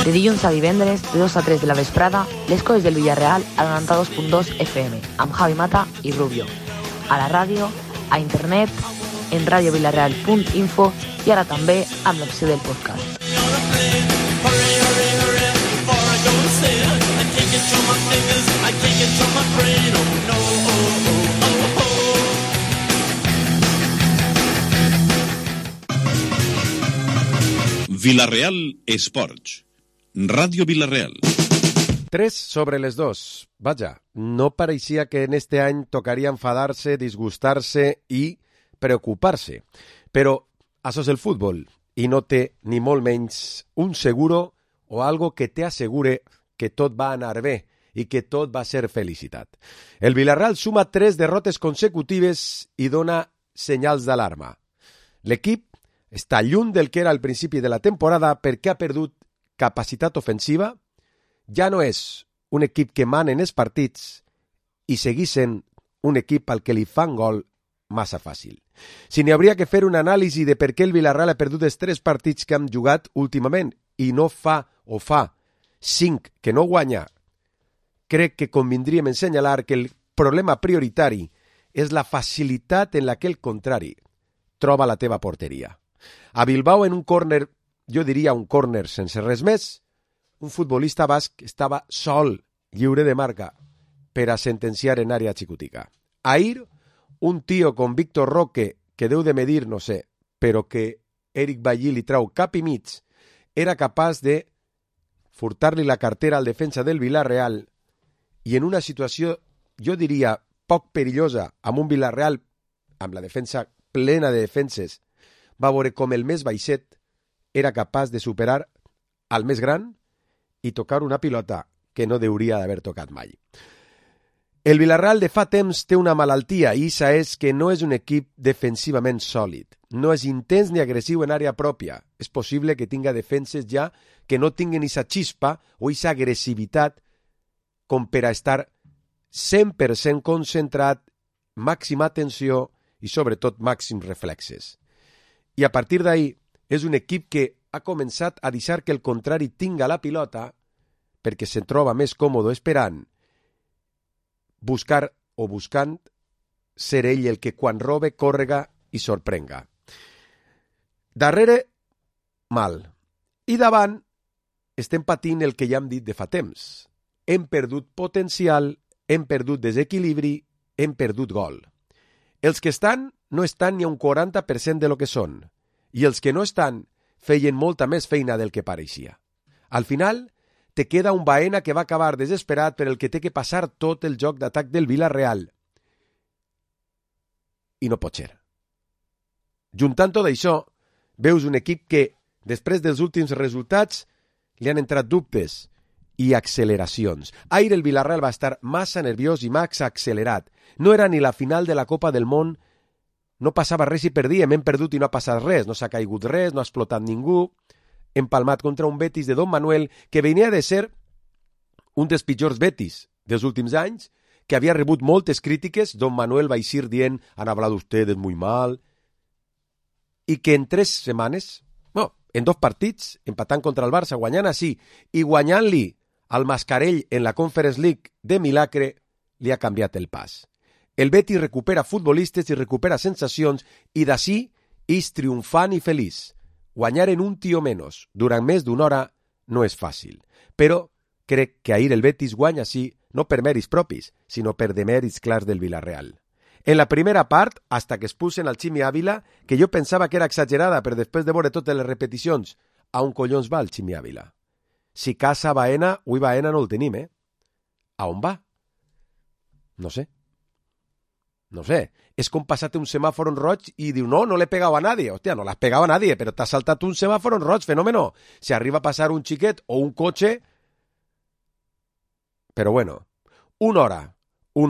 De dilluns a divendres, de 2 a 3 de la vesprada, les coses del Villarreal a 92.2 FM, amb Javi Mata i Rubio. A la ràdio, a internet, en radiovillarreal.info i ara també amb l'opció del podcast. Villarreal Esports. Radio Villarreal. 3 sobre les 2. Vaja, no parecía que en este any tocaría enfadarse, disgustarse i preocupar-se. Però això és el futbol i no té ni molt menys un seguro o algo que te assegure que tot va anar bé i que tot va ser felicitat. El Villarreal suma 3 derrotes consecutives i dona senyals d'alarma. L'equip està lluny del que era al principi de la temporada perquè ha perdut capacitat ofensiva, ja no és un equip que mana en els partits i segueix sent un equip al que li fan gol massa fàcil. Si n'hi hauria que fer una anàlisi de per què el Villarreal ha perdut els 3 partits que han jugat últimament i no fa 5 que no guanya, crec que convindríem en senyalar que el problema prioritari és la facilitat en la que el contrari troba la teva porteria. A Bilbao, en un córner, jo diria un córner sense res més, un futbolista basc estava sol, lliure de marca, per a sentenciar en àrea xicotica. Ahir, un tio com Víctor Roque, que deu de medir, no sé, però que Eric Bailly li trau cap i mig, era capaç de furtar-li la cartera al defensa del Villarreal i en una situació, jo diria, poc perillosa, amb un Villarreal, amb la defensa plena de defenses, va veure com el més baixet era capaç de superar al més gran i tocar una pilota que no hauria d'haver tocat mai. El Villarreal de fa temps té una malaltia i això és que no és un equip defensivament sòlid. No és intens ni agressiu en àrea pròpia. És possible que tinga defenses ja que no tinguin aquesta xispa o aquesta agressivitat com per a estar 100% concentrat, màxima atenció i sobretot màxims reflexes. I a partir d'ahir és un equip que ha començat a deixar que el contrari tinga la pilota perquè se'n troba més còmode esperant, buscant ser ell el que quan robe, còrrega i sorprenga. Darrere, mal. I davant, estem patint el que ja hem dit de fa temps. Hem perdut potencial, hem perdut desequilibri, hem perdut gol. Els que estan no estan ni a un 40% de lo que són, i els que no estan feien molta més feina del que pareixia. Al final, te queda un Baena que va acabar desesperat per el que té que passar tot el joc d'atac del Villarreal. I no pot ser. Juntant tot això, veus un equip que, després dels últims resultats, li han entrat dubtes i acceleracions. Ahir el Villarreal va estar massa nerviós i massa accelerat. No era ni la final de la Copa del Món. No passava res i perdíem, hem perdut i no ha passat res, no s'ha caigut res, no ha explotat ningú, empalmat contra un Betis de Don Manuel que venia de ser un dels pitjors Betis dels últims anys, que havia rebut moltes crítiques, Don Manuel va eixir dient han hablado ustedes muy mal, i que en 3 setmanes, en 2 partits, empatant contra el Barça, guanyant així, i guanyant-li al Mascarell en la Conference League de milagre, li ha canviat el pas. El Betis recupera futbolistes i recupera sensacions i d'ací és triomfant i feliç. Guanyar en un tio menys durant més d'una hora no és fàcil. Però crec que ahir el Betis guanya així no per mèrits propis, sinó per demèrits clars del Villarreal. En la primera part, hasta que expulsen al Chimi Ávila, que jo pensava que era exagerada, però després de veure totes les repeticions, a on collons va el Chimi Ávila? Si casa Baena, avui Baena no el tenim, A on va? No sé. No sé, és com passar-te un semàforo en roig i diu, no l'he pegado a nadie. Hòstia, no l'has pegado a nadie, però t'has saltat un semàforo en roig, fenómeno. Si arriba a passar un xiquet o un cotxe... Però bueno, una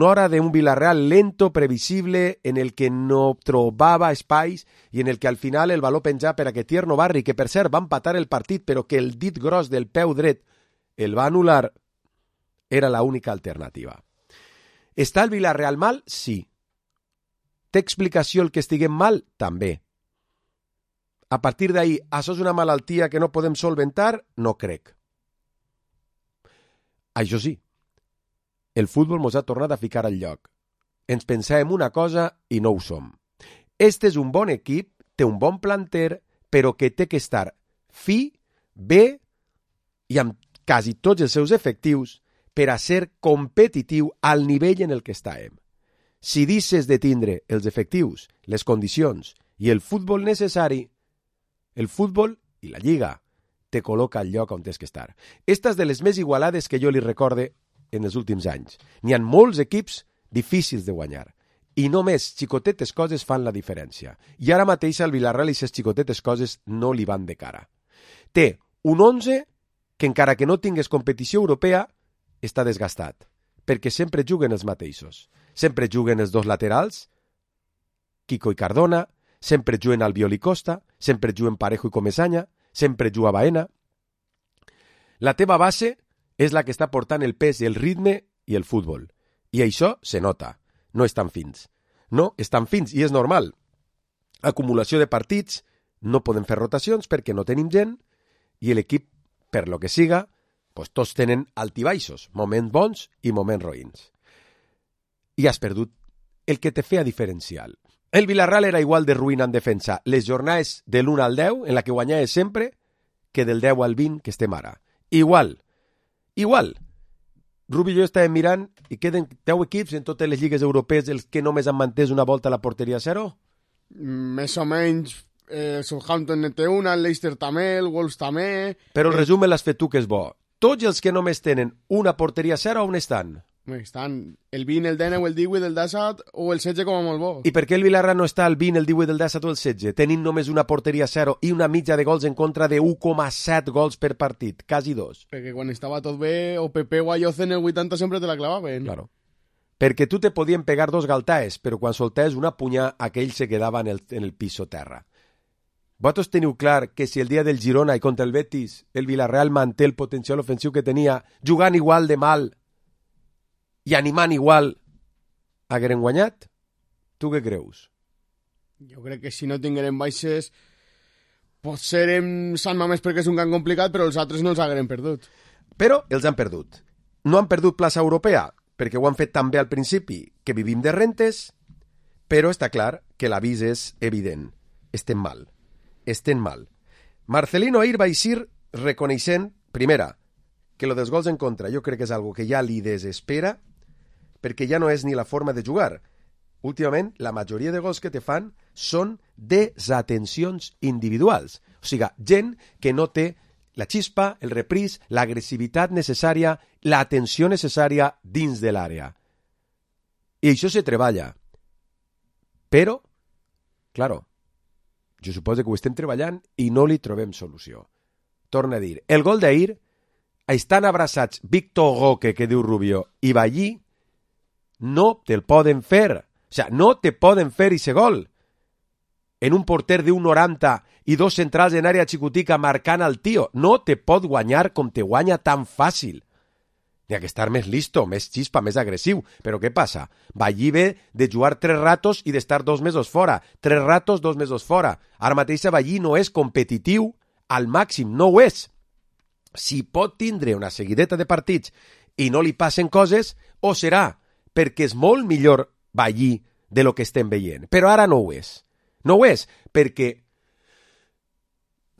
hora de un Villarreal lento, previsible, en el que no trobava espais i en el que al final el baló penjà per a que Tierno Barri, que per cert va empatar el partit, però que el dit gros del peu dret el va anul·lar, era l'única alternativa. Està el Villarreal mal? Sí. Té explicació el que estiguem mal? També. A partir d'ahir, això és una malaltia que no podem solventar? No crec. Això sí, el futbol mos ha tornat a ficar al lloc. Ens pensàvem una cosa i no ho som. Este és un bon equip, té un bon planter, però que té que estar fi, bé i amb quasi tots els seus efectius per a ser competitiu al nivell en el que estàvem. Si deixes de tindre els efectius, les condicions i el futbol necessari, el futbol i la lliga te col·loca al lloc on tens que estar. Esta és de les més igualades que jo li recorde en els últims anys. N'hi ha molts equips difícils de guanyar i només xicotetes coses fan la diferència. I ara mateix al Villarreal aquestes xicotetes coses no li van de cara. Té un 11 que encara que no tingués competició europea està desgastat, perquè sempre juguen els mateixos. Sempre juguen els dos laterals, Kiko i Cardona, sempre juguen Albiol i Costa, sempre juguen Parejo i Comesaña, sempre juga Baena. La teva base és la que està portant el pes, el ritme i el futbol. I això se nota. No estan fins. No estan fins, i és normal. Acumulació de partits, no podem fer rotacions perquè no tenim gent, i l'equip, per lo que siga, pues tots tenen altibaixos, moments bons i moments roïns. I has perdut el que te feia diferencial. El Villarreal era igual de ruïna en defensa les jornades de l'1 al 10, en la que guanyava sempre, que del 10 al 20 que estem ara. Igual. Rubi i jo estàvem mirant i queden 10 equips en totes les lligues europees els que només han mantès una volta a la porteria a 0? Més o menys, Southampton en té una, el Leicester també, el Wolves també... Però el resum l'has fet tu, que és bo. Tots els que només tenen una porteria a 0, on estan? Estan el 20, el 19, el 18, el 17 o el 16 com a molt bo. I per què el Villarreal no està al 20, el 18, el 17 o el 16? Tenint només una porteria a 0 i una mitja de gols en contra de 1,7 gols per partit, quasi 2. Perquè quan estava tot bé, o Pepe o Ayoce en el 80 sempre te la clavaven. Claro. Perquè tu te podien pegar 2 galtaes, però quan soltaves una punyà, aquell se quedava en el piso terra. Vosaltres teniu clar que si el dia del Girona i contra el Betis el Villarreal manté el potencial ofensiu que tenia, jugant igual de mal i animant igual, hagueren guanyat? Tu què creus? Jo crec que si no tingueren baixes, potser em Sant Mamés perquè és un camp complicat, però els altres no els hagueren perdut. Però els han perdut. No han perdut plaça europea, perquè ho han fet tan bé al principi que vivim de rentes, però està clar que l'avís és evident. Estem mal. Marcelino ahir va eixir reconeixent, primera, que lo dels gols en contra jo crec que és algo que ja li desespera, perquè ja no és ni la forma de jugar. Últimament, la majoria de gols que te fan són desatencions individuals. O sigui, gent que no té la xispa, el repris, l'agressivitat necessària, l'atenció necessària dins de l'àrea. I això se treballa. Però, claro, jo suposo que ho estem treballant i no li trobem solució. Torna a dir, el gol d'ahir, estan abraçats Víctor Roque, que diu Rubio, i Ballí, no te'l poden fer. O sigui, no te poden fer ese gol. En un porter de 1,90 i 2 centrals en àrea xicotica marcant al tio. No te pot guanyar com te guanya tan fàcil. N'hi ha que estar més listo, més xispa, més agressiu. Però què passa? Ballí ve de jugar 3 ratos i d'estar 2 mesos fora. 3 ratos, 2 mesos fora. Ara mateix Ballí no és competitiu al màxim, no ho és. Si pot tindre una seguideta de partits i no li passen coses, o serà perquè és molt millor Ballí de lo que estem veient. Però ara no ho és. No ho és, perquè,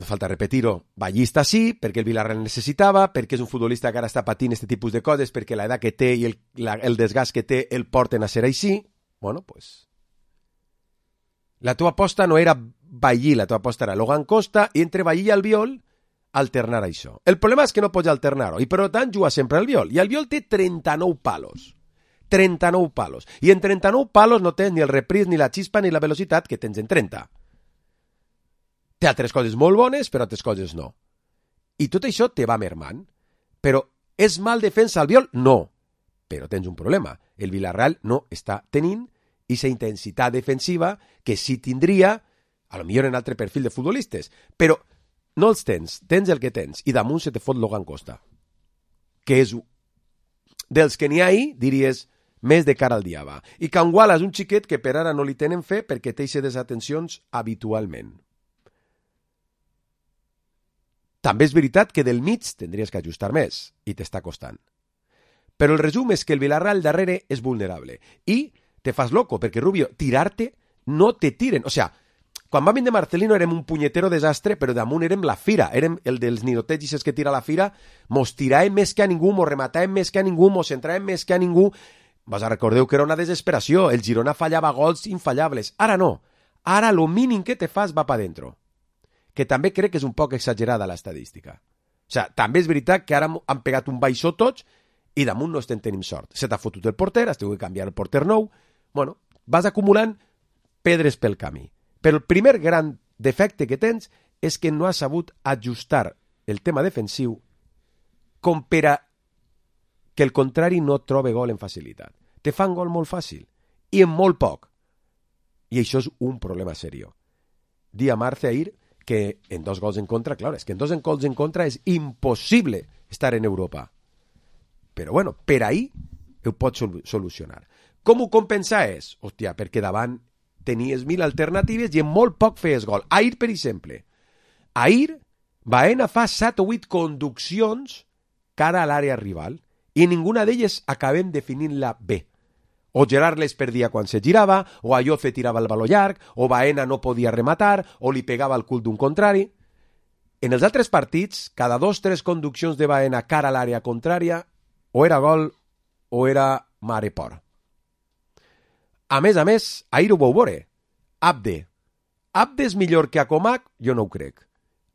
no falta repetir-ho, Ballí està sí, perquè el Villarreal necessitava, perquè és un futbolista que ara està patint aquest tipus de coses, perquè l'edat que té i el desgast que té el porten a ser així. Bueno, pues... La teva aposta no era Ballí, la teva aposta era Logan Costa, i entre Ballí i Albiol alternar això. El problema és que no pots alternar-ho, i per tant juga sempre Albiol, i Albiol té 39 palos. 39 palos. I en 39 palos no tens ni el repris, ni la xispa, ni la velocitat que tens en 30. Té altres coses molt bones, però altres coses no. I tot això te va mermant. Però és mal defensa Albiol? No. Però tens un problema. El Villarreal no està tenint aquesta intensitat defensiva que sí tindria, a lo millor en altre perfil de futbolistes. Però no els tens el que tens, i damunt se te fot Logan Costa, que és dels que n'hi ha ahí, diries, més de cara al diable. I Canguala és un xiquet que per ara no li tenen fe perquè té aquestes atencions habitualment. També és veritat que del mig tindries que ajustar més, i t'està costant. Però el resum és que el Villarreal darrere és vulnerable. I te fas loco, perquè Rubio, tirar-te no te tiren. O sea, quan vam vindre Marcelino érem un punyetero desastre, però damunt érem la fira, érem el dels ninotegis que tira la fira, mos tiràvem més que a ningú, mos rematàvem més que a ningú, mos centràvem més que a ningú. Vos recordeu que era una desesperació, el Girona fallava gols infallables. Ara no, ara lo mínim que te fas va pa dentro. Que també crec que és un poc exagerada l'estadística. O sea, també és veritat que ara han pegat un baixó tots i damunt no estem tenint sort. Se t'ha fotut el porter, has tingut que canviar el porter nou. Bueno, vas acumulant pedres pel camí. Però el primer gran defecte que tens és que no has sabut ajustar el tema defensiu com per a que el contrari no trobe gol en facilitat. Te fan gol molt fàcil i en molt poc. I això és un problema serio. Di a Marce ahir que en 2 gols en contra, clar, és que en 2 gols en contra és impossible estar en Europa. Però bueno, per ahí ho pots solucionar. Com ho compensa és? Hòstia, perquè davant tenies 1000 alternatives i en molt poc feies gol. Ahir, per exemple. Ahir, Baena fa 7 o 8 conduccions cara a l'àrea rival i ninguna d'elles acabem definint-la bé. O Gerard les perdia quan se girava, o Ayoce tirava el baló llarg, o Baena no podia rematar, o li pegava el cul d'un contrari. En els altres partits, cada 2-3 conduccions de Baena cara a l'àrea contrària, o era gol o era mare por. A més, ahir ho vau veure. Abde. Abde és millor que Acomac? Jo no ho crec.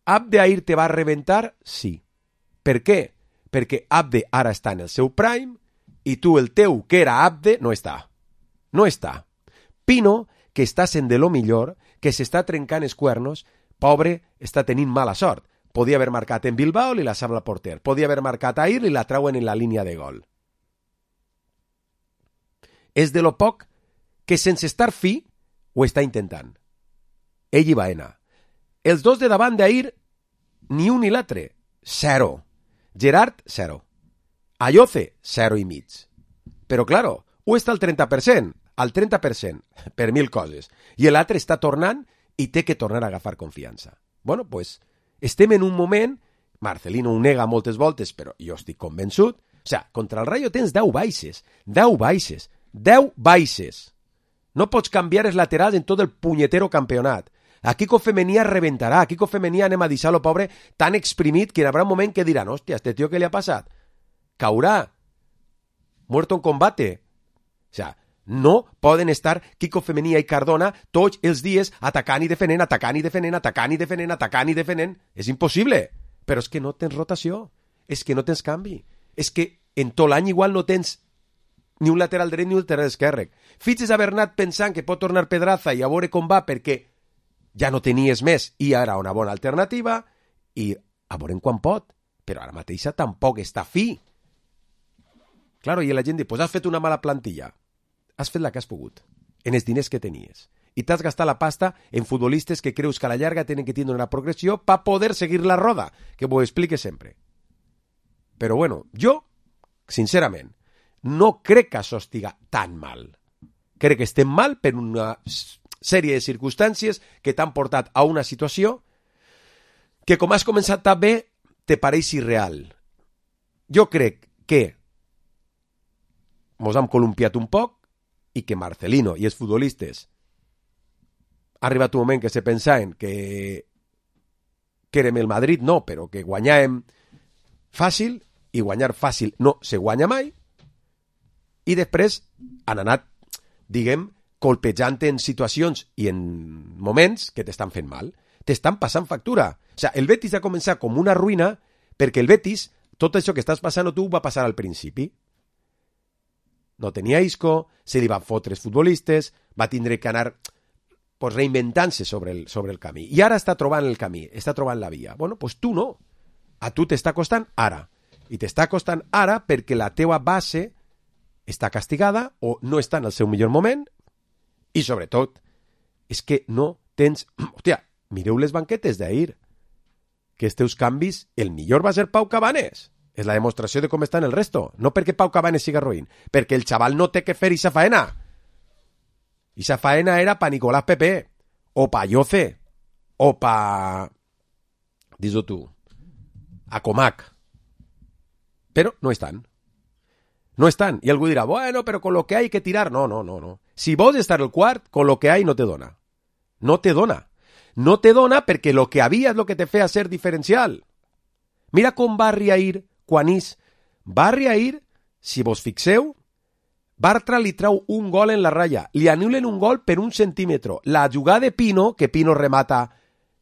Abde ahir te va reventar? Sí. Per què? Perquè Abde ara està en el seu prime i tu, el teu, que era Abde, no està. No està. Pino, que està sent de lo millor, que s'està trencant els cuernos, pobre, està tenint mala sort. Podia haver marcat en Bilbao, li la sabla porter. Podia haver marcat ahir, li la trauen en la línia de gol. És de lo poc que sense estar fi ho està intentant. Ell i Baena. Els dos de davant d'ahir, ni un ni l'altre. 0. Gerard, 0. Ayoce, 0 i mig. Però, claro, ho està al 30%, per 1000 coses. I l'altre està tornant i té que tornar a agafar confiança. Bueno, pues, estem en un moment, Marcelino ho nega moltes voltes, però jo estic convençut, o sea, contra el Rayo tens 10 baixes, 10 baixes, 10 baixes. No pots canviar els laterals en tot el punyetero campionat. A Kiko Femení reventarà, a Kiko Femení anem a deixar-lo pobre tan exprimit que hi haurà un moment que diran, hòstia, este tio què li ha passat? Caurà, muerto en combate. O sea, no poden estar Kiko Femení i Cardona tots els dies atacant i defenent, atacant i defenent, atacant i defenent, atacant i defenent. És impossible. Però és que no tens rotació, és que no tens canvi, és que en tot l'any igual no tens ni un lateral dret ni un lateral esquerre. Fitxes a Bernat pensant que pot tornar Pedraza i a veure com va perquè ja no tenies més i ara una bona alternativa i a veure quan pot. Però ara mateixa tampoc està fi. Claro, i la gent diu, pues has fet una mala plantilla. Has fet la que has pogut, en els diners que tenies. I t'has gastat la pasta en futbolistes que creus que a la llarga tenen que tindre una progressió per poder seguir la roda, que ho explique sempre. Però bueno, jo, sincerament, no crec que això estiga tan mal. Crec que estem mal per una sèrie de circumstàncies que t'han portat a una situació que, com has començat tan bé, te pareix irreal. Jo crec que mos hem columpiat un poc i que Marcelino i els futbolistes ha arribat un moment que se pensaven que érem el Madrid, no, però que guanyàvem fàcil, i guanyar fàcil no se guanya mai, i després han anat, diguem, colpejant en situacions i en moments que t'estan fent mal, t'estan passant factura. O sigui, el Betis ha començat com una ruïna perquè el Betis, tot això que estàs passant tu, va passar al principi. No tenia Isco, se li van fotre els futbolistes, va tindre que anar pues, reinventant-se sobre el camí. I ara està trobant el camí, està trobant la via. Bueno, pues tu no. A tu t'està costant ara. I t'està costant ara perquè la teua base està castigada o no està en el seu millor moment i, sobretot, és que no tens... Hòstia, mireu les banquetes d'ahir. Que els teus canvis, el millor va ser Pau Cabanes. És la demostració de com estan el resto. No perquè Pau Cabanes siga roïn, perquè el xaval no té que fer ixa faena. Ixa faena era pa Nicolás Pepe, o pa Ayoce, o pa... Dis-ho tu. A Comac. Però no estan. No estan. I algú dirà, bueno, però con lo que hay que tirar. No. Si vols estar al quart, con lo que hay no te dona. No te dona. No te dona perquè lo que havia és lo que te feia ser diferencial. Mira com va Riair quan és. Va Riair, si vos fixeu, Bartra li trau un gol en la ratlla. Li anulen un gol per 1 centímetre. La jugada de Pino, que Pino remata,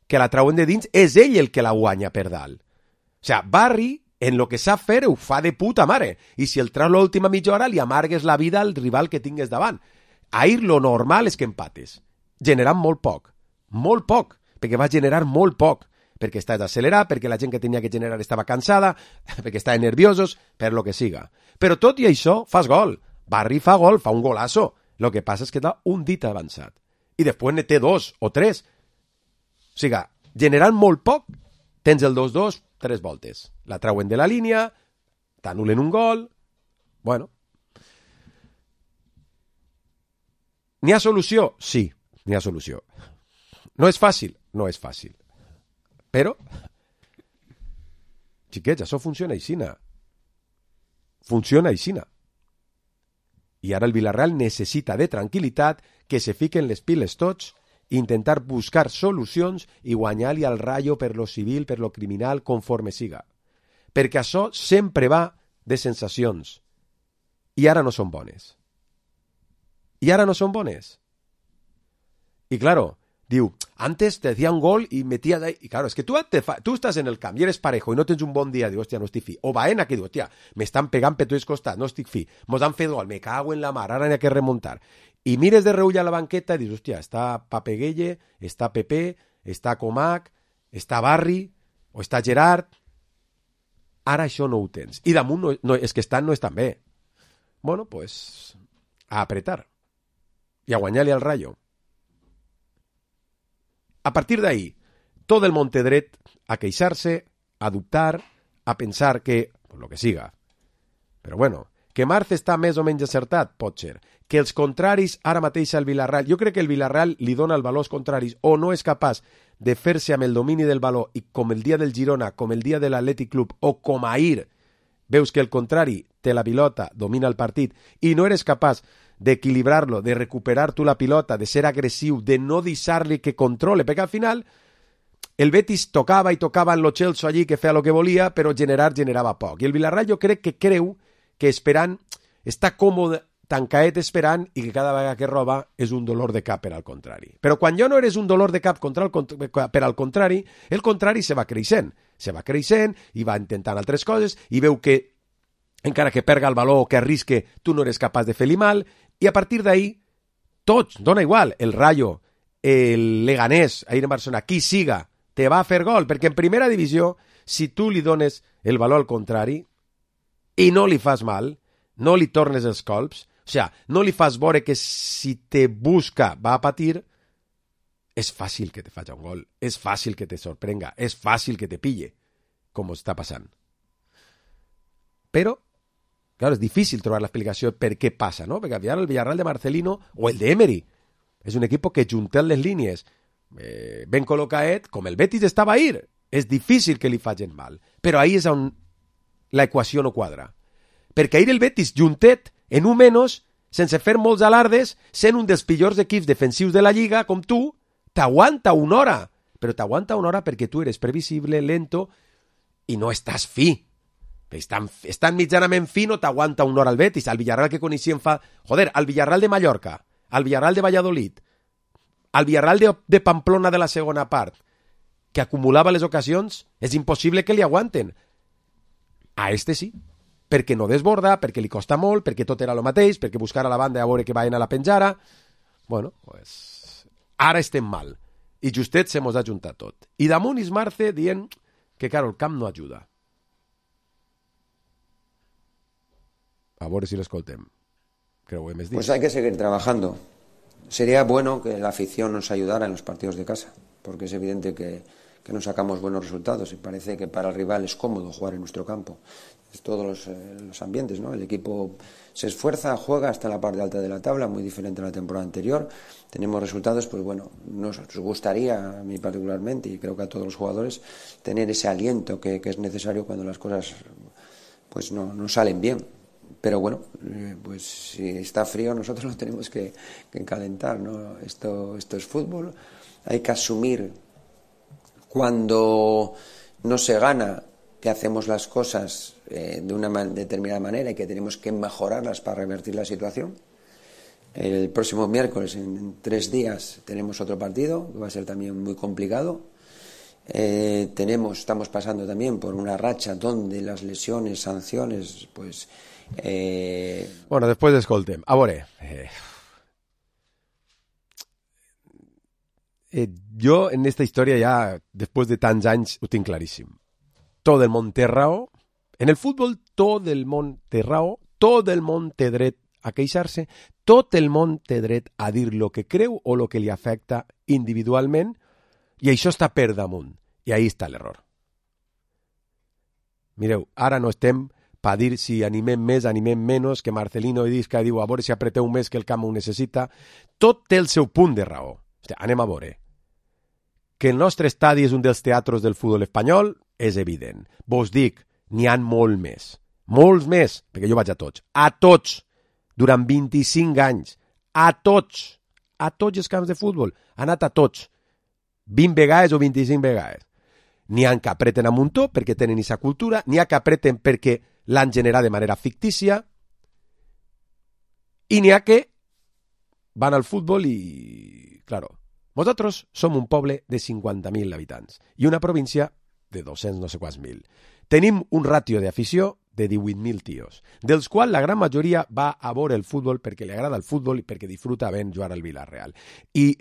que la trauen de dins, és ell el que la guanya per dalt. O sigui, Barry, en lo que sap fer, ho fa de puta mare. I si el trau l'última mitja hora, li amargues la vida al rival que tingues davant. Ahir lo normal és que empates. Generant molt poc, perquè va generar molt poc, perquè estàs accelerat, perquè la gent que tenia que generar estava cansada, perquè estaven nerviosos, per lo que siga. Però tot i això, fas gol. Barry fa gol, fa un golazo. Lo que passa és que està un dit avançat. I després ne té 2 o 3. O sigui, generant molt poc, tens el 2-2, 3 voltes. La trauen de la línia, t'anulen un gol. Bueno. N'hi ha solució? Sí, n'hi ha solució. No és fàcil? No és fàcil. Però, xiquets, això funciona aixina. Funciona aixina. I ara el Villarreal necessita de tranquil·litat, que se fiquen les piles tots, intentar buscar solucions i guanyar-li al Rayo per lo civil, per lo criminal, conforme siga. Perquè això sempre va de sensacions. I ara no són bones. I claro, diu, antes te decía un gol y metías ahí. Y claro, es que tú estás en el camp y eres parejo y no tens un bon dia. Diu, hòstia, no estic fi. O Baena, que diu, hòstia, m'estan pegant per tots els costats, no estic fi. Mos han fet gol, me cago en la mar, ara n'hi ha que remuntar. I mires de reull a la banqueta i dius, hòstia, està Papeguelle, està Pepe, està Comac, està Barry, o està Gerard. Ara això no ho tens. I damunt, és que no estan bé. Bueno, pues, a apretar. I a guanyar-li al Rayo. A partir d'ahí, tot el món té dret a queixar-se, a dubtar, a pensar que, pues lo que siga. Però bueno, que Marc està més o menys acertat, pot ser. Que els contraris ara mateix al Villarreal, jo crec que el Villarreal li dona el valor als contraris o no és capaç de fer-se amb el domini del valor i com el dia del Girona, com el dia de l'Atlètic Club o com ahir, veus que el contrari té la pilota, domina el partit i no eres capaç d'equilibrar-lo, de recuperar tu la pilota, de ser agressiu, de no deixar-li que controle, perquè al final el Betis tocava i tocava en lo Chelsea allí que feia el que volia, però generava poc. I el Villarreal jo crec que creu que esperant, està còmode, tancaet esperant i que cada vegada que roba és un dolor de cap per al contrari. Però quan ja no eres un dolor de cap per al contrari, el contrari se va creixent i va intentant altres coses i veu que encara que perga el valor o que arrisque, tu no eres capaç de fer-li mal, i a partir d'ahí, tots, dona igual, el Rayo, el Leganés, ahir en Barcelona, qui siga, te va a fer gol, perquè en primera divisió, si tu li dones el valor al contrari i no li fas mal, no li tornes els colps, o sigui, no li fas veure que si te busca va a patir, és fàcil que te faci un gol, és fàcil que te sorprenga, és fàcil que te pille, com està passant. Però, claro, és difícil trobar l'explicació per què passa, ¿no? Perquè el Villarreal de Marcelino o el de Emery és un equip que juntant les línies ben col·locat, com el Betis estava ahir, és difícil que li facin mal. Però ahí és on l'equació no quadra. Perquè ahir el Betis juntet en un menys, sense fer molts alardes, sent un dels pitjors equips defensius de la Lliga, com tu, t'aguanta una hora. Però t'aguanta una hora perquè tu eres previsible, lento, i no estàs fi. Estan mitjanament fi, no t'aguanta una hora al Betis. Al Villarreal que coneixíem fa... Joder, al Villarreal de Mallorca, al Villarreal de Valladolid, al Villarreal de Pamplona de la segona part, que acumulava les ocasions, és impossible que li aguanten. A este sí, perquè no desborda, perquè li costa molt, perquè tot era el mateix, perquè buscar a la banda a veure que vayan a la penjara. Bueno, pues ara estem mal. I justet se mos ha juntat tot. I damunt és Marce dient que, claro, el camp no ajuda. A ver si lo escoltem. Creo que me pues hay que seguir trabajando. Sería bueno que la afición nos ayudara en los partidos de casa, porque es evidente que no sacamos buenos resultados y parece que para el rival es cómodo jugar en nuestro campo. Es todos los ambientes, ¿no? El equipo se esfuerza, juega hasta la parte alta de la tabla, muy diferente a la temporada anterior. Tenemos resultados, pues bueno, nos gustaría a mí particularmente y creo que a todos los jugadores tener ese aliento que es necesario cuando las cosas pues no salen bien. Pero bueno, pues si está frío nosotros lo tenemos que calentar, ¿no? Esto es fútbol, hay que asumir cuando no se gana que hacemos las cosas de una determinada manera y que tenemos que mejorarlas para revertir la situación. El próximo miércoles, en 3 días, tenemos otro partido, que va a ser también muy complicado. Estamos pasando también por una racha donde las lesiones, sanciones, pues... Bueno, después escoltem. A veure, jo en esta història ja, després de tants anys, ho tinc claríssim. Tot el món té raó. En el futbol tot el món té raó, tot el món té dret a queixar-se, tot el món té dret a dir lo que creu o lo que li afecta individualment, i això està per damunt. I ahí està l'error. Mireu, ara no estem per dir si animem més, animem menys, que Marcelino Idisca diu a veure si apreteu més que el camp ho necessita. Tot té el seu punt de raó. Hòstia, anem a veure. Que el nostre estadi és un dels teatres del futbol espanyol és evident. Vos dic, n'hi ha molt més. Molts més, perquè jo vaig a tots. A tots! Durant 25 anys. A tots! A tots els camps de futbol. Ha anat a tots. 20 vegades o 25 vegades. N'hi ha que apreten a muntó perquè tenen aquesta cultura, n'hi ha que apreten perquè l'han generat de manera fictícia, i n'hi ha que van al futbol i, claro, nosaltres som un poble de 50.000 habitants i una província de 200 no sé quants mil. Tenim un ràtio d'afició de 18.000 tios, dels quals la gran majoria va a veure el futbol perquè li agrada el futbol i perquè disfruta ben jugar al Villarreal. I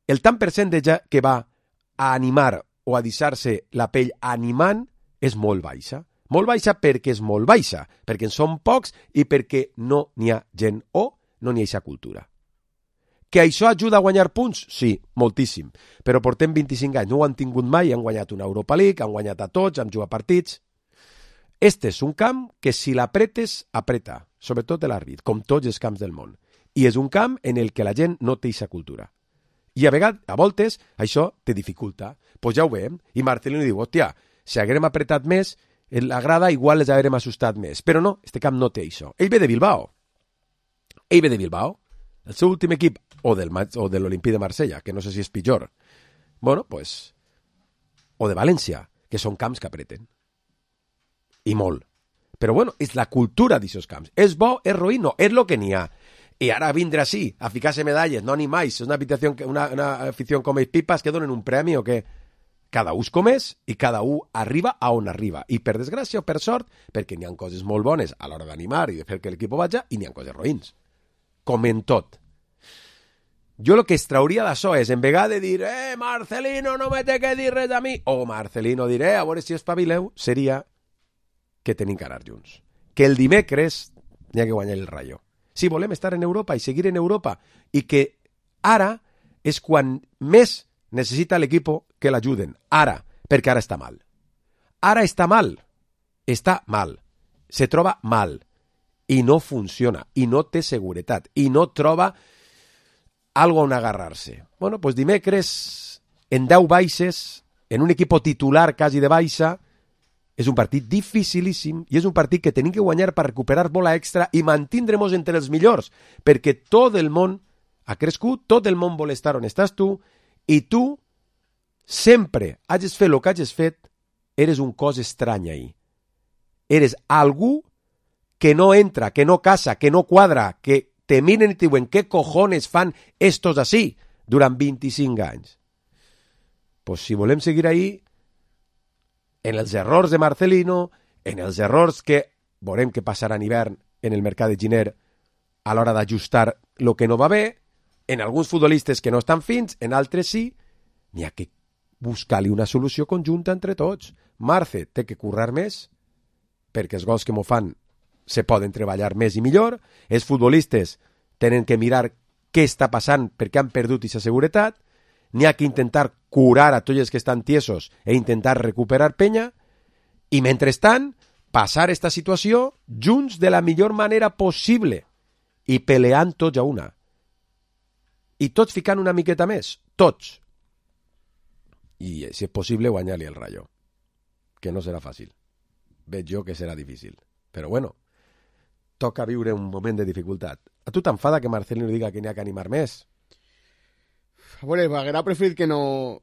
el tant per cent que va a animar o a deixar-se la pell animant és molt baixa. Molt baixa perquè és molt baixa, perquè en són pocs i perquè no n'hi ha gent o no n'hi ha aquesta cultura. Que això ajuda a guanyar punts? Sí, moltíssim. Però portem 25 anys, no ho han tingut mai, han guanyat una Europa League, han guanyat a tots, han jugat partits. Este és un camp que si l'apretes, apreta, sobretot l'àrbit, com tots els camps del món. I és un camp en el que la gent no té aquesta cultura. I a vegades, a voltes, això te dificulta. Pues ja ho veiem. I Marcelino diu, hòstia, si haguérem apretat més, en la grada igual les haguérem assustat més. Però no, este camp no té això. Ell ve de Bilbao. El seu últim equip, o de l'Olimpí de Marsella, que no sé si és pitjor. Bueno, pues... O de València, que són camps que apreten. I molt. Però bueno, és la cultura d'aquests camps. És bo, és roïn, no, és el que n'hi ha. I ara vindre així, a ficar-se medalles, no ni mai, és una afició com ells pipas que donen un premi o què? Cada un és com és i cada un arriba a on arriba. I per desgràcia o per sort, perquè n'hi ha coses molt bones a l'hora d'animar i de fer que l'equip vaja i n'hi ha coses roïns. Com en tot. Jo el que extrauria d'això és, en vegada de dir Marcelino no me té que dir res a mi, o Marcelino diré, a veure si espavileu, seria que tenim que anar junts. Que el dimecres n'hi ha que guanyar el Rayo. Si volem estar en Europa i seguir en Europa, i que ara és quan més necessita l'equip que l'ajuden. Ara, perquè ara està mal. Ara està mal. Està mal. Se troba mal. I no funciona. I no té seguretat. I no troba algo on agarrar-se. Bueno, pues dimecres, en 10 baixes, en un equip titular quasi de baixa, és un partit dificilíssim i és un partit que tenim que guanyar per recuperar bola extra i mantindremos entre els millors, perquè tot el món ha crescut, tot el món vol estar on estàs tu, i tu sempre hagis fet el que hagis fet, eres un cos estrany ahí. Eres algú que no entra, que no casa, que no quadra, que te miren i te diuen què cojones fan estos así durant 25 anys. Pues si volem seguir ahí, en els errors de Marcelino, en els errors que veurem que passaran hivern en el mercat de Giner a l'hora d'ajustar el que no va bé, en alguns futbolistes que no estan fins, en altres sí, n'hi ha que buscar-li una solució conjunta entre tots. Marce té que currar més, perquè els gols que m'ho fan se poden treballar més i millor, els futbolistes tenen que mirar què està passant perquè han perdut aquesta seguretat, n'hi ha que intentar curar a tots els que estan tiesos e intentar recuperar penya, i mentrestant passar esta situació junts de la millor manera possible i peleant tots a una. I tots ficant una miqueta més, tots. I si és possible guanyar-li el Rayo, que no serà fàcil. Veig jo que serà difícil. Però bueno, toca viure un moment de dificultat. A tu t'enfada que Marcelino diga que n'hi ha que animar més? A veure, m'haguera preferit que no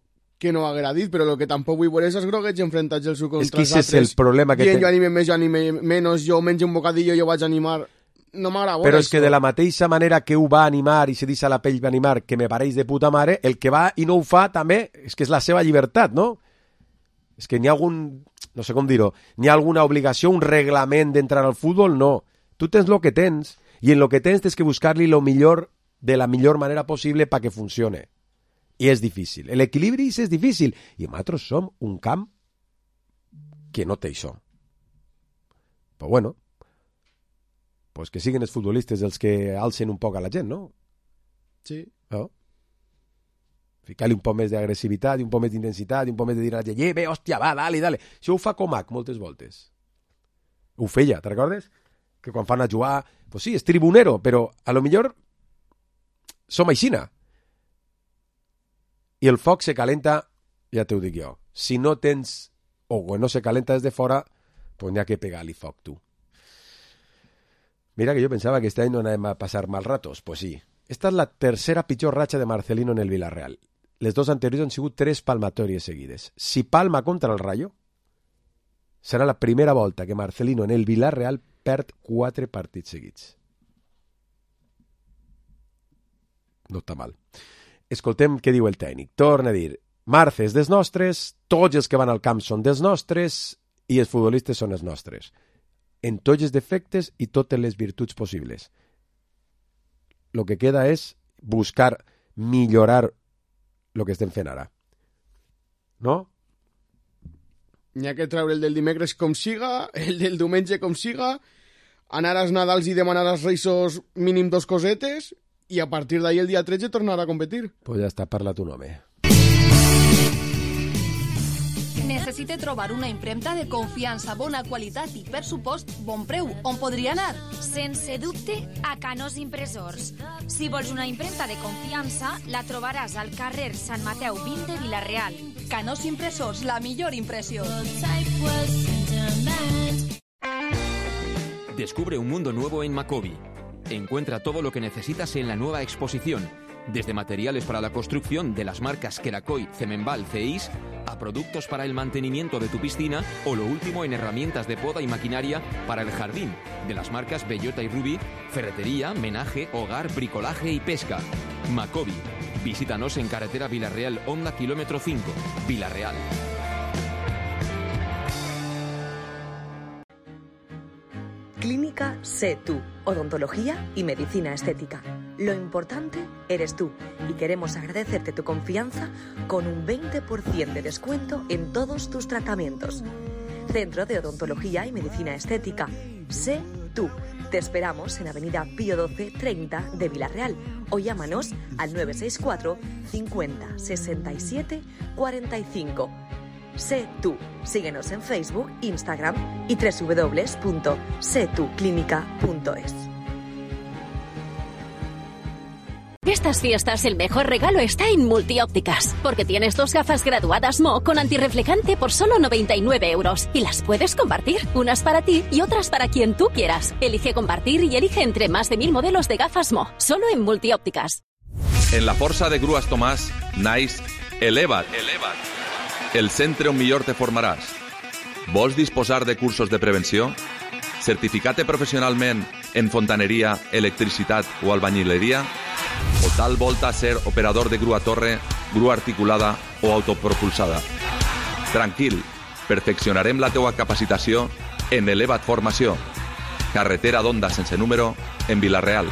haguera dit, però el que tampoc vull veure és els groguets enfrontats els contra els altres. És que és el problema que jo anime més, jo anime menys, jo menjo un bocadillo, jo vaig animar... No m'agrada veure però és que de la mateixa manera que ho va animar i se deixa la pell va animar, que me pareix de puta mare, el que va i no ho fa també, és que és la seva llibertat, no? És que n'hi ha algun... No sé com dir-ho. N'hi ha alguna obligació, un reglament d'entrar al futbol? No. Tu tens el que tens i en el que tens tens que buscar-li lo millor de la millor manera possible perquè funcione. I és difícil. L'equilibri és difícil. I nosaltres som un camp que no té això. Però bueno, pues que siguin els futbolistes els que alcen un poc a la gent, no? Sí. No? Ficar-li un poc més d'agressivitat, un poc més d'intensitat, un poc més de dir a la gent, bé, hòstia, va, dale. Això ho fa Comac moltes voltes. Ho feia, te recordes? Que quan fan a jugar, pues sí, és tribunero, però a lo millor som aixina. I el foc se calenta, ja t'ho dic jo. Si no tens, o no se calenta des de fora, pues n'hi ha que pegar-li foc, tu. Mira que yo pensaba que este año no iba a pasar mal ratos. Pues sí. Esta es la tercera pitjor ratxa de Marcelino en el Villarreal. Les dos anteriors han sigut 3 palmatòries seguides. Si palma contra el Rayo, serà la primera volta que Marcelino en el Villarreal perd 4 partits seguits. No està mal. Escoltem què diu el tècnic. Torna a dir, Marce és dels nostres, tots els que van al camp són dels nostres i els futbolistes són els nostres. En tots els defectes i totes les virtuts possibles. Lo que queda és buscar millorar lo que estem fent ara. No? N'hi ha que treure el del dimecres com siga, el del diumenge com siga, anar als Nadals i demanar als Reisos mínim 2 cosetes i a partir d'ahir el dia 13 tornar a competir. Pues ja està, parla tu home. Necessite trobar una impremta de confiança, bona qualitat i, per supost, bon preu. On podria anar? Sense dubte, a Canós Impressors. Si vols una impremta de confiança, la trobaràs al carrer Sant Mateu 20 de Vila-real. Canós Impressors, la millor impressió. Descubre un mundo nuevo en Macobi. Encuentra todo lo que necesitas en la nueva exposición. Desde materiales para la construcción de las marcas Kerakoy, Cemenbal, Ceis, a productos para el mantenimiento de tu piscina o lo último en herramientas de poda y maquinaria para el jardín, de las marcas Bellota y Ruby, ferretería, menaje, hogar, bricolaje y pesca. Macobi. Visítanos en carretera Villarreal, Honda, kilómetro 5, Villarreal. Clínica Sé Tú, odontología y medicina estética. Lo importante eres tú y queremos agradecerte tu confianza con un 20% de descuento en todos tus tratamientos. Centro de Odontología y Medicina Estética. Sé Tú. Te esperamos en Avenida Pío 12 30 de Villarreal o llámanos al 964 50 67 45. Sé Tú. Síguenos en Facebook, Instagram y www.setuclinica.es. Estas fiestas el mejor regalo está en Multiópticas, porque tienes 2 gafas graduadas Mo con antirreflejante por solo 99 € y las puedes compartir, unas para ti y otras para quien tú quieras. Elige compartir y elige entre más de 1000 modelos de gafas Mo, solo en Multiópticas. En la Força de Grues Tomàs, naix Eleva't. El centre on millor te formaràs. Vols disposar de cursos de prevenció? Certificar-te professionalment en fontaneria, electricitat o albañileria? O tal volta ser operador de grua torre, grua articulada o autopropulsada? Tranquil, perfeccionarem la teua capacitació en Eleva't Formació. Carretera d'Onda sense número, en Vila-real.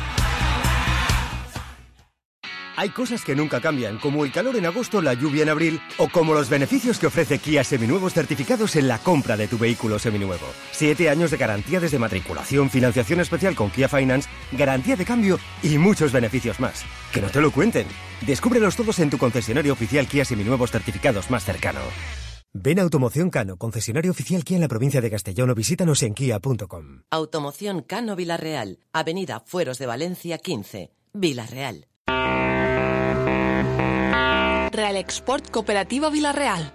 Hay cosas que nunca cambian, como el calor en agosto, la lluvia en abril, o como los beneficios que ofrece Kia Seminuevos certificados en la compra de tu vehículo seminuevo. 7 años de garantía desde matriculación, financiación especial con Kia Finance, garantía de cambio y muchos beneficios más. Que no te lo cuenten. Descúbrelos todos en tu concesionario oficial Kia Seminuevos certificados más cercano. Ven a Automoción Cano, concesionario oficial Kia en la provincia de Castellón, o visítanos en kia.com. Automoción Cano Vila-real, Avenida Fueros de Valencia 15, Vila-real. Real Export Cooperativa Vila-real.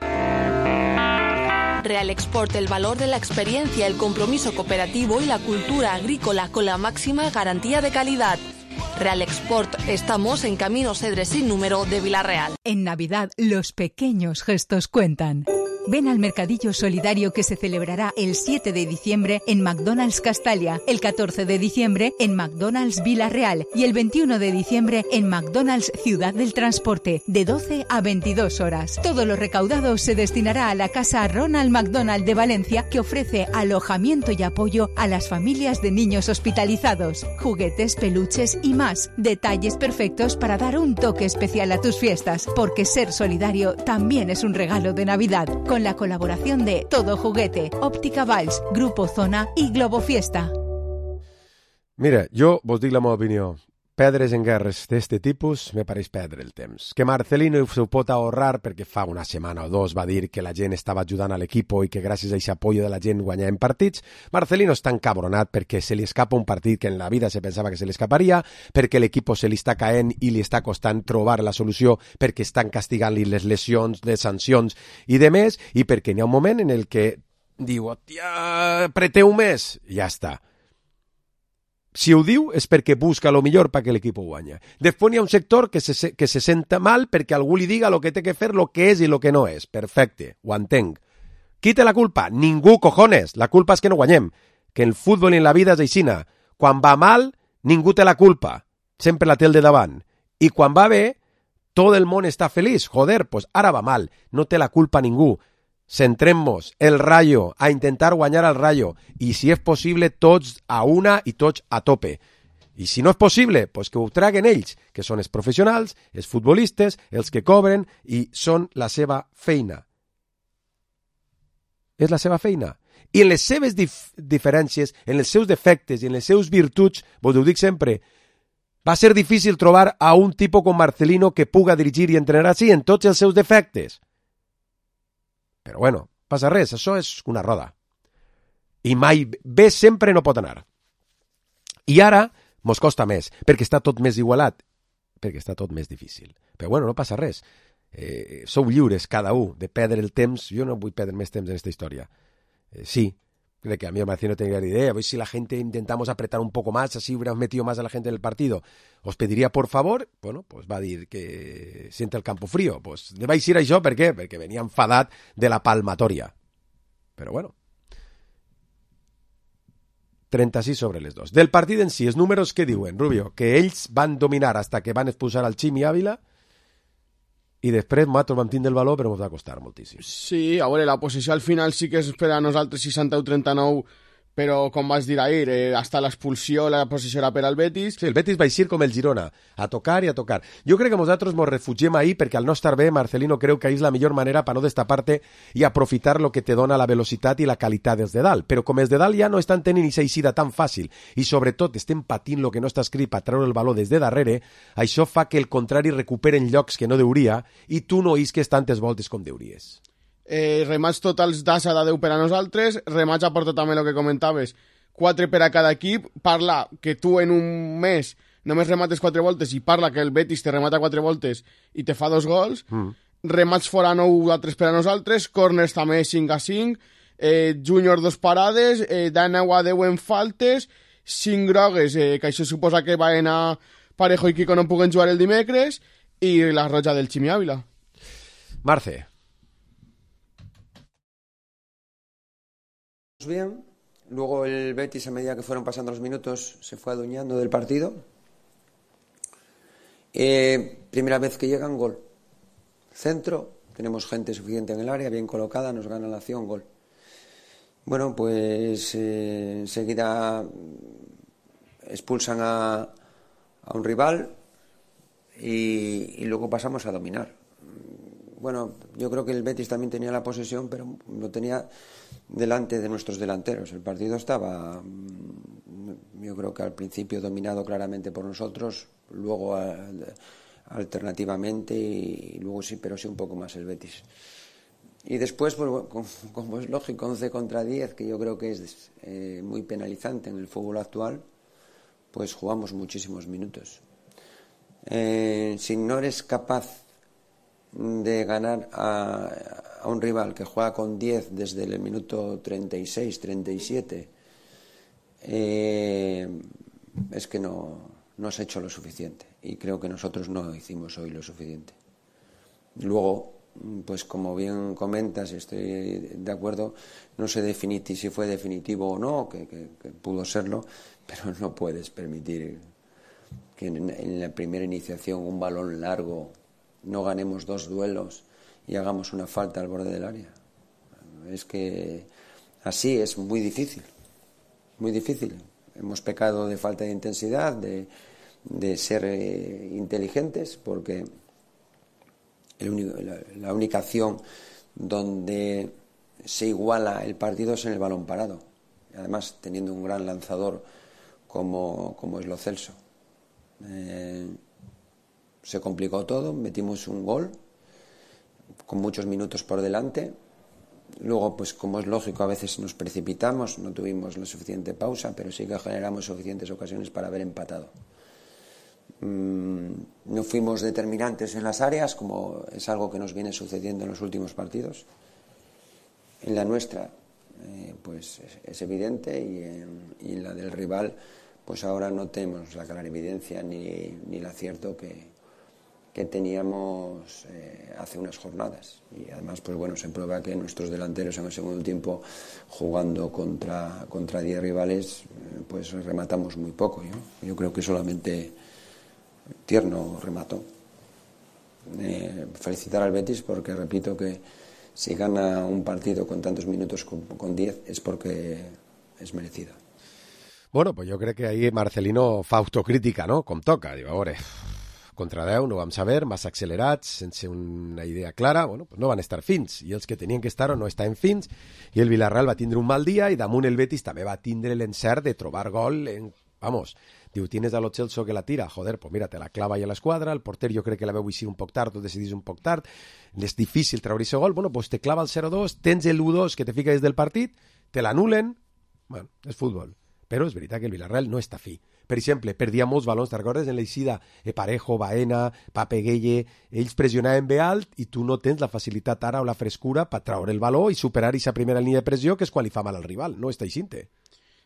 Real Export el valor de la experiencia, el compromiso cooperativo y la cultura agrícola con la máxima garantía de calidad. Real Export, estamos en Camino Cedre sin número de Villarreal. En Navidad, los pequeños gestos cuentan. Ven al mercadillo solidario que se celebrará el 7 de diciembre en McDonald's Castalia, el 14 de diciembre en McDonald's Villarreal y el 21 de diciembre en McDonald's Ciudad del Transporte, de 12 a 22 horas. Todo lo recaudado se destinará a la Casa Ronald McDonald de Valencia, que ofrece alojamiento y apoyo a las familias de niños hospitalizados, juguetes, peluches y más. Detalles perfectos para dar un toque especial a tus fiestas, porque ser solidario también es un regalo de Navidad. Con la colaboración de Todo Juguete, Óptica Valls, Grupo Zona i Globo Fiesta. Mira, jo vos dic la meva opinió. Perdre's en guerres d'este tipus me pareix perdre el temps. Que Marcelino s'ho pot ahorrar perquè fa una setmana o dos va dir que la gent estava ajudant a l'equip i que gràcies a aquest apoyo de la gent guanyàvem partits. Marcelino està encabronat perquè se li escapa un partit que en la vida se pensava que se li escaparia, perquè l'equip se li està caent i li està costant trobar la solució perquè estan castigant-li les lesions, les sancions i de més, i perquè n'hi ha un moment en el que diu, hòstia, apreteu més, i ja està. Si ho diu és perquè busca lo millor perquè l'equip guanya. Després hi ha un sector que se senta mal perquè algú li diga lo que té que fer, lo que és i lo que no és. Perfecte, ho entenc. Qui té la culpa? Ningú, cojones. La culpa és que no guanyem. Que el futbol i en la vida és aixina. Quan va mal, ningú té la culpa. Sempre la té el de davant. I quan va bé, tot el món està feliç. Joder, pues ara va mal. No té la culpa ningú. Centrem-nos, el Rayo, a intentar guanyar al Rayo, i si és possible tots a una i tots a tope. I si no és possible, pues que ho traguen ells, que són els professionals, els futbolistes, els que cobren, i són la seva feina. És la seva feina. I en les seves diferències, en els seus defectes i en les seus virtuts, vos ho dic sempre, va ser difícil trobar a un tipus com Marcelino que puga dirigir i entrenar així en tots els seus defectes. Però bueno, passa res, això és una roda. I mai bé sempre no pot anar. I ara mos costa més, perquè està tot més igualat, perquè està tot més difícil. Però bueno, no passa res. Sou lliures cada un de perdre el temps. Jo no vull perdre més temps en aquesta història. Sí, de que a mí me pareció no tener idea. Pues si la gente intentamos apretar un poco más, así hubiéramos metido más a la gente en el partido. Os pediría por favor, bueno, pues va a dir que siente el campo frío. Pues vais ir a això, per què? Perquè venia enfadat de la palmatòria. Però bueno. 36 sobre les 2. Del partit en si, els números que diuen, Rubio, que ells van dominar hasta que van expulsar al Chimi Ávila, i després nosaltres vam tindre el valor, però ens va costar moltíssim. Sí, a veure, la posició al final sí que és per a nosaltres 61-39, però com vas dir ahir, hasta l'expulsió la posició era per al Betis. Sí, el Betis va eixir com el Girona, a tocar i a tocar. Jo crec que nosaltres ens refugiem ahir perquè al no estar bé, Marcelino creu que ahir és la millor manera per no destapar-te i aprofitar lo que te dona la velocitat i la qualitat dels de dalt. Però com els de dalt ja no estan tenint aquesta eixida tan fàcil i sobretot estem patint lo que no està escrit per treure el valor des de darrere, això fa que el contrari recuperen llocs que no deuria i tu no isques tantes voltes com deuries. Remats totals d'Asa de 10 per a nosaltres, remats aporta també el que comentaves, 4 per a cada equip, parla que tu en un mes només remates 4 voltes i parla que el Betis te remata 4 voltes i te fa 2 gols, remats fora 9 a 3 per a nosaltres, corners també 5 a 5, Júnior 2 parades, de 9 a 10 en faltes, 5 grogues, que això suposa que van a Parejo i Kiko no puguen jugar el dimecres, i la roja del Chimi Ávila. Marce. Bien, luego el Betis a medida que fueron pasando los minutos se fue adueñando del partido. Primera vez que llegan, gol. Centro, tenemos gente suficiente en el área, bien colocada, nos gana la acción, gol. Bueno, pues enseguida expulsan a un rival y luego pasamos a dominar. Bueno, yo creo que el Betis también tenía la posesión, pero lo tenía delante de nuestros delanteros. El partido estaba, yo creo que al principio dominado claramente por nosotros, luego alternativamente y luego sí, pero sí un poco más el Betis. Y después, pues, como es lógico, 11 contra 10, que yo creo que es muy penalizante en el fútbol actual, pues jugamos muchísimos minutos. Si no eres capaz de ganar a a un rival que juega con 10 desde el minuto 36, 37, es que no has hecho lo suficiente, y creo que nosotros no hicimos hoy lo suficiente. Luego, pues como bien comentas, estoy de acuerdo, no sé si fue definitivo o no, que pudo serlo, pero no puedes permitir que en la primera iniciación, un balón largo, no ganemos 2 duelos y hagamos una falta al borde del área. Es que así es muy difícil, muy difícil. Hemos pecado de falta de intensidad, de ser inteligentes, porque la única acción donde se iguala el partido es en el balón parado, además teniendo un gran lanzador como es Lo Celso. Se complicó todo, metimos un gol con muchos minutos por delante. Luego, pues como es lógico, a veces nos precipitamos, no tuvimos la suficiente pausa, pero sí que generamos suficientes ocasiones para haber empatado. No fuimos determinantes en las áreas, como es algo que nos viene sucediendo en los últimos partidos. En la nuestra, pues es evidente, y en la del rival, pues ahora no tenemos la clarividencia ni el acierto que teníamos hace unas jornadas. Y además, pues bueno, se prueba que nuestros delanteros en el segundo tiempo, jugando contra 10 rivales, pues rematamos muy poco. Yo creo que solamente Tierno remató. Felicitar al Betis, porque repito que si gana un partido con tantos minutos con 10 es porque es merecido. Bueno, pues jo crec que ahir Marcelino fa autocrítica, no?, com toca. Diu, a veure, contra 10 no vam saber, massa accelerats, sense una idea clara, bueno, pues no van estar fins, i els que tenien que estar o no estaven fins, i el Villarreal va tindre un mal dia, i damunt el Betis també va tindre l'encert de trobar gol vamos, diu, tienes a Lo Celso que la tira, joder, pues mira, te la clava ja a l'esquadra, el porter jo crec que la veu així un poc tard, tu decidís un poc tard, és difícil treure aquest gol, bueno, pues te clava el 0-2, tens el 1-2 que te fica des del partit, te l'anulen, bueno, és futbol. Però és veritat que el Villarreal no està fi. Per exemple, perdia molts balons, te'n recordes? En l'eixida, Parejo, Baena, Pape Gueye, ells pressionaven bé alt i tu no tens la facilitat ara o la frescura per treure el baló i superar aquesta primera línia de pressió, que és quan li fa mal al rival, no està així-te.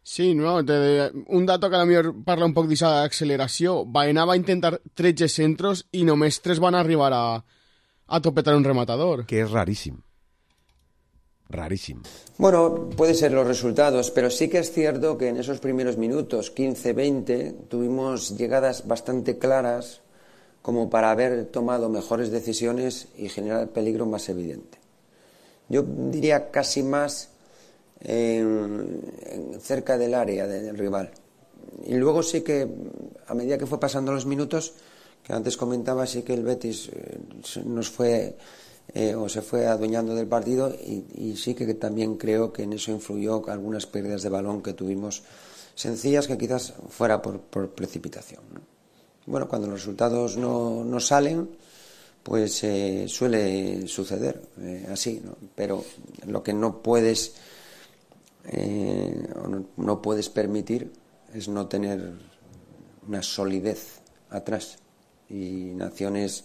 Sí, no, un dato que a lo millor parla un poc d'aquesta acceleració. Baena va intentar 13 centros i només 3 van arribar a topetar un rematador. Que és raríssim. Rarísimo. Bueno, puede ser los resultados, pero sí que es cierto que en esos primeros minutos, 15-20, tuvimos llegadas bastante claras como para haber tomado mejores decisiones y generar peligro más evidente. Yo diría casi más cerca del área del rival. Y luego sí que, a medida que fue pasando los minutos, que antes comentaba, sí que el Betis nos fue... o se fue adueñando del partido, y sí que también creo que en eso influyó algunas pérdidas de balón que tuvimos sencillas, que quizás fuera por precipitación, ¿no? Bueno, cuando los resultados no salen, pues suele suceder así, ¿no? Pero lo que no puedes no puedes permitir es no tener una solidez atrás, y Naciones.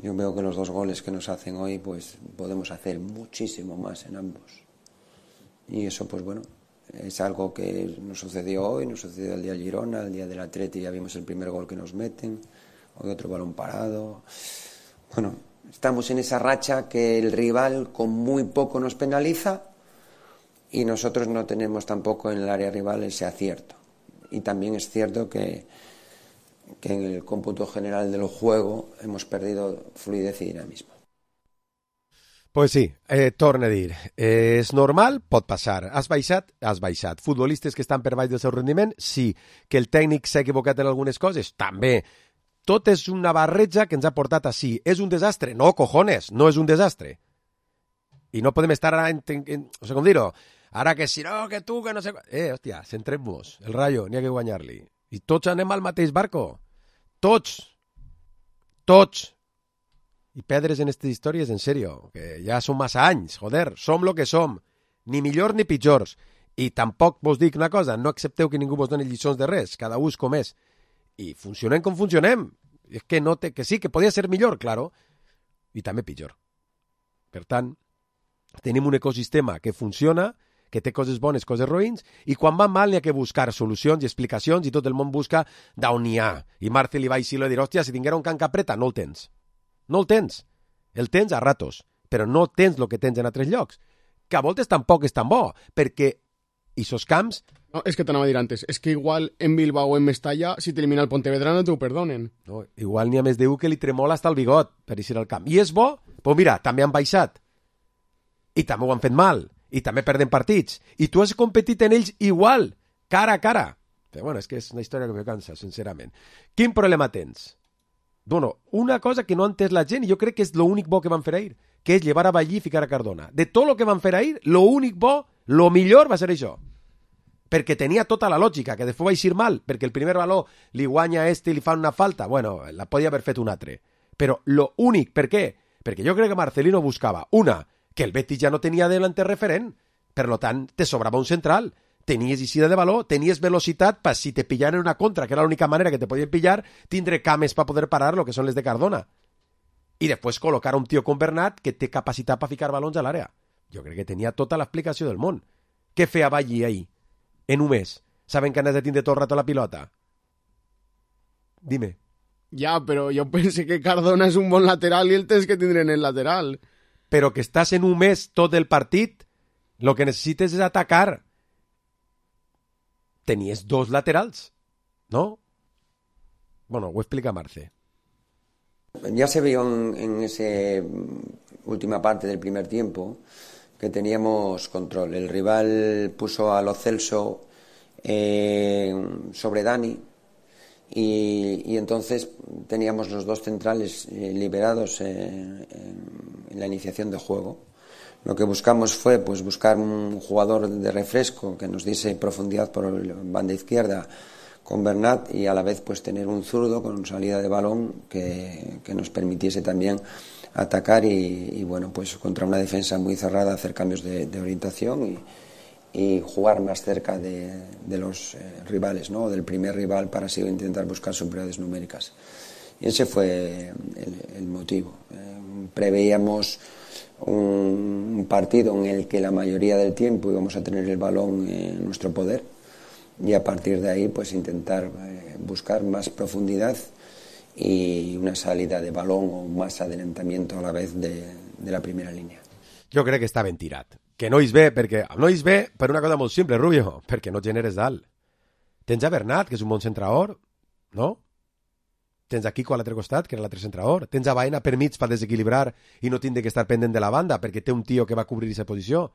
Yo veo que los 2 goles que nos hacen hoy, pues podemos hacer muchísimo más en ambos. Y eso, pues bueno, es algo que nos sucedió hoy, nos sucedió el día del Girona, el día del Atleti ya vimos el primer gol que nos meten, hoy otro balón parado. Bueno, estamos en esa racha que el rival con muy poco nos penaliza y nosotros no tenemos tampoco en el área rival ese acierto. Y también es cierto que en el cómputo general del juego hemos perdido fluidez y dinamismo. Pues sí, torna a dir, és normal, pot passar. Has baixat? Has baixat. Futbolistes que estan per baix del seu rendiment? Sí. Que el tècnic s'ha equivocat en algunes coses? També. Tot és una barreja que ens ha portat així. És un desastre? No, cojones, no és un desastre. I no podem estar ara, no sé com dir-ho, ara que si no, que tu, que no sé... hòstia, centrem-nos. El Rayo, n'hi ha que guanyar-li. I tots anem al mateix barco. Tots. I perdre's en aquestes històries, en sèrio, que ja són massa anys, joder, som lo que som, ni millor ni pitjors. I tampoc vos dic una cosa, no accepteu que ningú vos doni lliçons de res, cada un és com és. I funcionem com funcionem. És que no té, que sí, que podia ser millor, claro, i també pitjor. Per tant, tenim un ecosistema que funciona, que té coses bones, coses roïns, i quan va mal n'hi ha que buscar solucions i explicacions i tot el món busca d'on n'hi ha. I Marcel li va així dir, hòstia, si tinguera un Can Capreta, no el tens. No el tens. El tens a ratos, però no tens el que tens en altres llocs. Que a voltes tampoc és tan bo, perquè aquests camps... No, és que t'anava a dir antes, és que igual en Bilbao o en Mestalla, si t'elimina el Pontevedra no t'ho perdonen. No, igual n'hi ha més d'un que li tremola hasta el bigot per eixir al camp. I és bo? Doncs mira, també han baixat. I també ho han fet mal. I també perden partits. I tu has competit en ells igual, cara a cara. Però bueno, és que és una història que me cansa, sincerament. Quin problema tens? Bueno, una cosa que no ha entès la gent, i jo crec que és l'únic bo que van fer ahir, que és llevar a Ballí i ficar a Cardona. De tot el que van fer ahir, l'únic bo, lo millor va ser això. Perquè tenia tota la lògica, que després va eixir mal, perquè el primer baló li guanya i li fa una falta. Bueno, la podia haver fet un altre. Però lo únic, per què? Perquè jo crec que Marcelino buscava, una, que el Betis ja no tenia delante referent, per lo tant, te sobrava un central, tenies eixida de baló, tenies velocitat, per si te pillaran una contra, que era l'única manera que te podien pillar, tindre cames per poder parar lo que són les de Cardona. I després col·locar un tio com Bernat que té capacitat per ficar balons a l'àrea. Jo crec que tenia tota l'explicació del món. Què feia Ballí ahir? En un mes, saben que han de tindre tot el rato la pilota. Dime. Ja, però jo pense que Cardona és un bon lateral i el tens que tindre en el lateral. Però que estàs en un mes tot el partit, lo que necessites és atacar. Tenies dos laterals, ¿no? Bueno, ho explica Marce. Ya se vio en esa última parte del primer tiempo que teníamos control. El rival puso a Lo Celso sobre Dani y entonces teníamos los dos centrales liberados en la iniciación de juego. Lo que buscamos fue pues buscar un jugador de refresco que nos diese profundidad por la banda izquierda con Bernat y a la vez pues tener un zurdo con salida de balón que nos permitiese también atacar y bueno, pues contra una defensa muy cerrada hacer cambios de orientación y jugar más cerca de los rivales, ¿no? Del primer rival para así intentar buscar superioridades numéricas. Y ese fue el motivo. Preveíamos un partido en el que la mayoría del tiempo íbamos a tener el balón en nuestro poder y a partir de ahí pues intentar buscar más profundidad y una salida de balón o más adelantamiento a la vez de la primera línia. Jo crec que està ben tirat. Que no és bé, perquè no és bé per una cosa molt simple, Rubio, perquè no generes dalt. Tens a Bernat, que és un bon centrador, no? Tens a Kiko a l'altre costat, que era l'altre centrador. Tens a Baena per mig per desequilibrar i no tindre que estar pendent de la banda, perquè té un tio que va cobrir aquesta posició.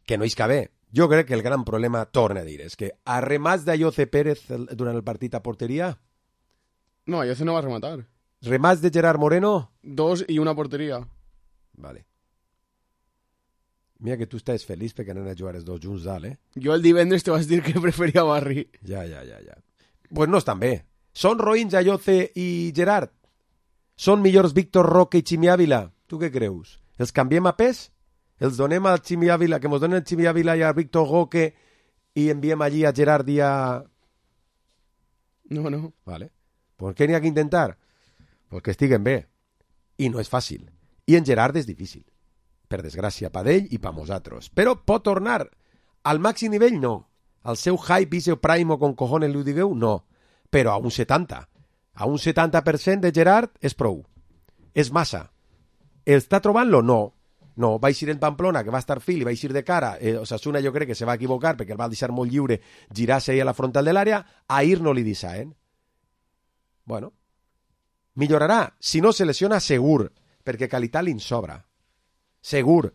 Que no és que bé. Jo crec que el gran problema, torna a dir, és que a remats d'Ayoce Pérez durant el partit a porteria... No, Ayoce no va rematar. Remats de Gerard Moreno... 2 i una porteria. Vale. Mira que tu estàs feliç perquè anen a jugar els dos junts dalt, Jo el divendres te vas dir que preferia Barri. Ja. Pues no estan bé. Són roïns Ayoce i Gerard? Són millors Víctor Roque i Ximi Ávila? Tu què creus? Els canviem a pes? Els donem al Ximi Ávila, que mos donen el Ximi Ávila i a Víctor Roque i enviem allí a Gerard i a... No. Vale. Pues què n'hi ha que intentar? Pues que estiguen bé. I no és fàcil. I en Gerard és difícil. Per desgràcia, per ell i per nosaltres. Però pot tornar al màxim nivell? No. Al seu hype i seu prime con cojones li ho digueu? No. Però a un 70. A un 70% de Gerard és prou. És massa. Està trobant-lo? No. No, va eixir en Pamplona, que va estar fil i va eixir de cara. Osasuna jo crec que se va equivocar perquè el va deixar molt lliure girar-se ahí a la frontal de l'àrea. Ahir no li deixaven. Bueno, millorarà. Si no se lesiona, segur, perquè qualitat li en sobra. Segur.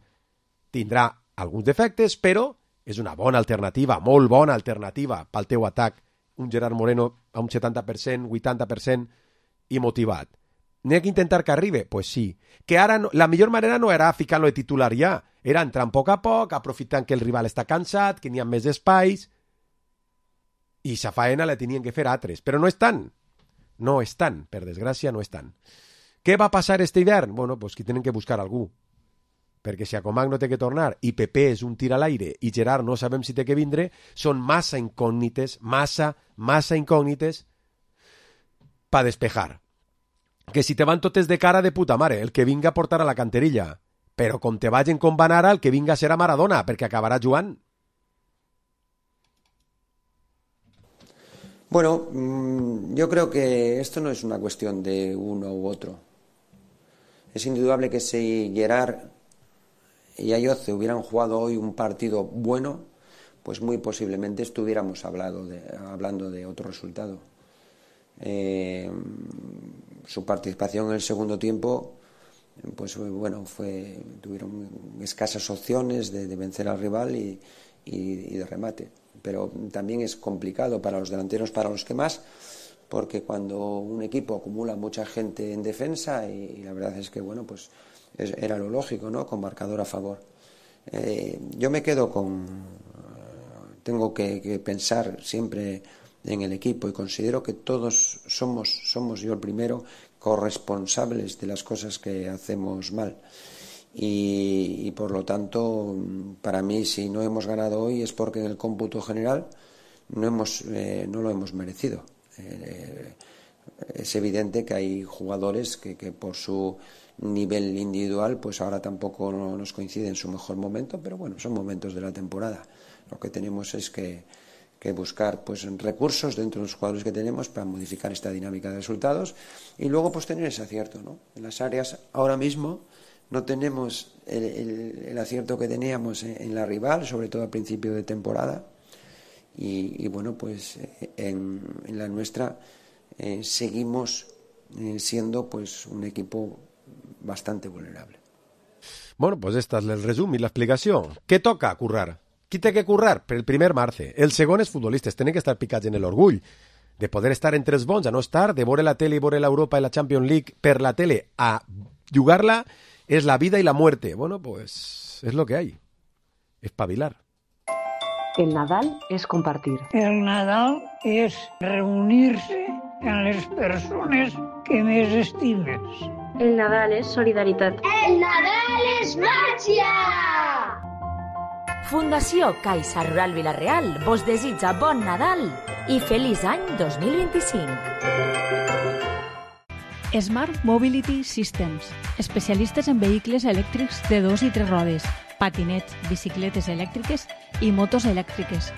Tindrà alguns defectes, però és una bona alternativa, molt bona alternativa pel teu atac. Un Gerard Moreno a un 70%, 80% i motivat. N'hi ha que intentar que arribi? Pues sí. Que ara no, la millor manera no era ficar-lo de titular ja. Era entrar a poc, aprofitant que el rival està cansat, que n'hi ha més espais. I sa faena la tenien que fer altres. Però no estan. No estan. Per desgràcia, no estan. Què va passar este hivern? Bueno, pues que tenen que buscar algú. Perquè si Acomac no té que tornar i Pepe és un tir a l'aire i Gerard no sabem si té que vindre, són massa incògnites, massa incògnites per despejar. Que si te van totes de cara de puta mare, el que vinga a portar a la canterilla. però com te vagin com van ara, el que vinga serà Maradona, perquè acabarà jugant. Bueno, yo creo que esto no es una cuestión de uno u otro. Es indudable que si Gerard y Ayoce hubieran jugado hoy un partido bueno, pues muy posiblemente estuviéramos hablando de otro resultado. Su participación en el segundo tiempo, pues bueno, tuvieron escasas opciones de vencer al rival y de remate. Pero también es complicado para los delanteros, para los que más, porque cuando un equipo acumula mucha gente en defensa, y la verdad es que bueno, pues era lo lógico, ¿no? Con marcador a favor. Yo me quedo tengo que pensar siempre en el equipo, y considero que todos somos yo el primero, corresponsables de las cosas que hacemos mal. Y por lo tanto, para mí, si no hemos ganado hoy es porque en el cómputo general no lo hemos merecido. Es evidente que hay jugadores que por su nivel individual pues ahora tampoco nos coincide en su mejor momento, pero bueno, son momentos de la temporada. Lo que tenemos es que buscar pues recursos dentro de los jugadores que tenemos para modificar esta dinámica de resultados y luego pues tener ese acierto, ¿no? En las áreas ahora mismo no tenemos el acierto que teníamos en la rival, sobre todo al principio de temporada, y bueno, pues en la nuestra seguimos siendo pues un equipo bastante vulnerable. Bueno, pues esta és el resum i l'explicació. Què toca currar? Qui té que currar? Per el primer marce. El segon és futbolistes, tenen que estar picats en l'orgull de poder estar entre els bons, a no estar, de veure la tele i veure l'Europa i la Champions League per la tele, a jugar-la. Es la vida y la muerte. Bueno, pues es lo que hay. Espavilar. El Nadal es compartir. El Nadal es reunirse amb les persones que més estimes. El Nadal és solidaritat. El Nadal és màgia! Fundació Caixa Rural Vila-real vos desitja bon Nadal i feliç any 2025. Smart Mobility Systems, especialistes en vehicles elèctrics de 2 i 3 rodes, patinets, bicicletes elèctriques i motos elèctriques.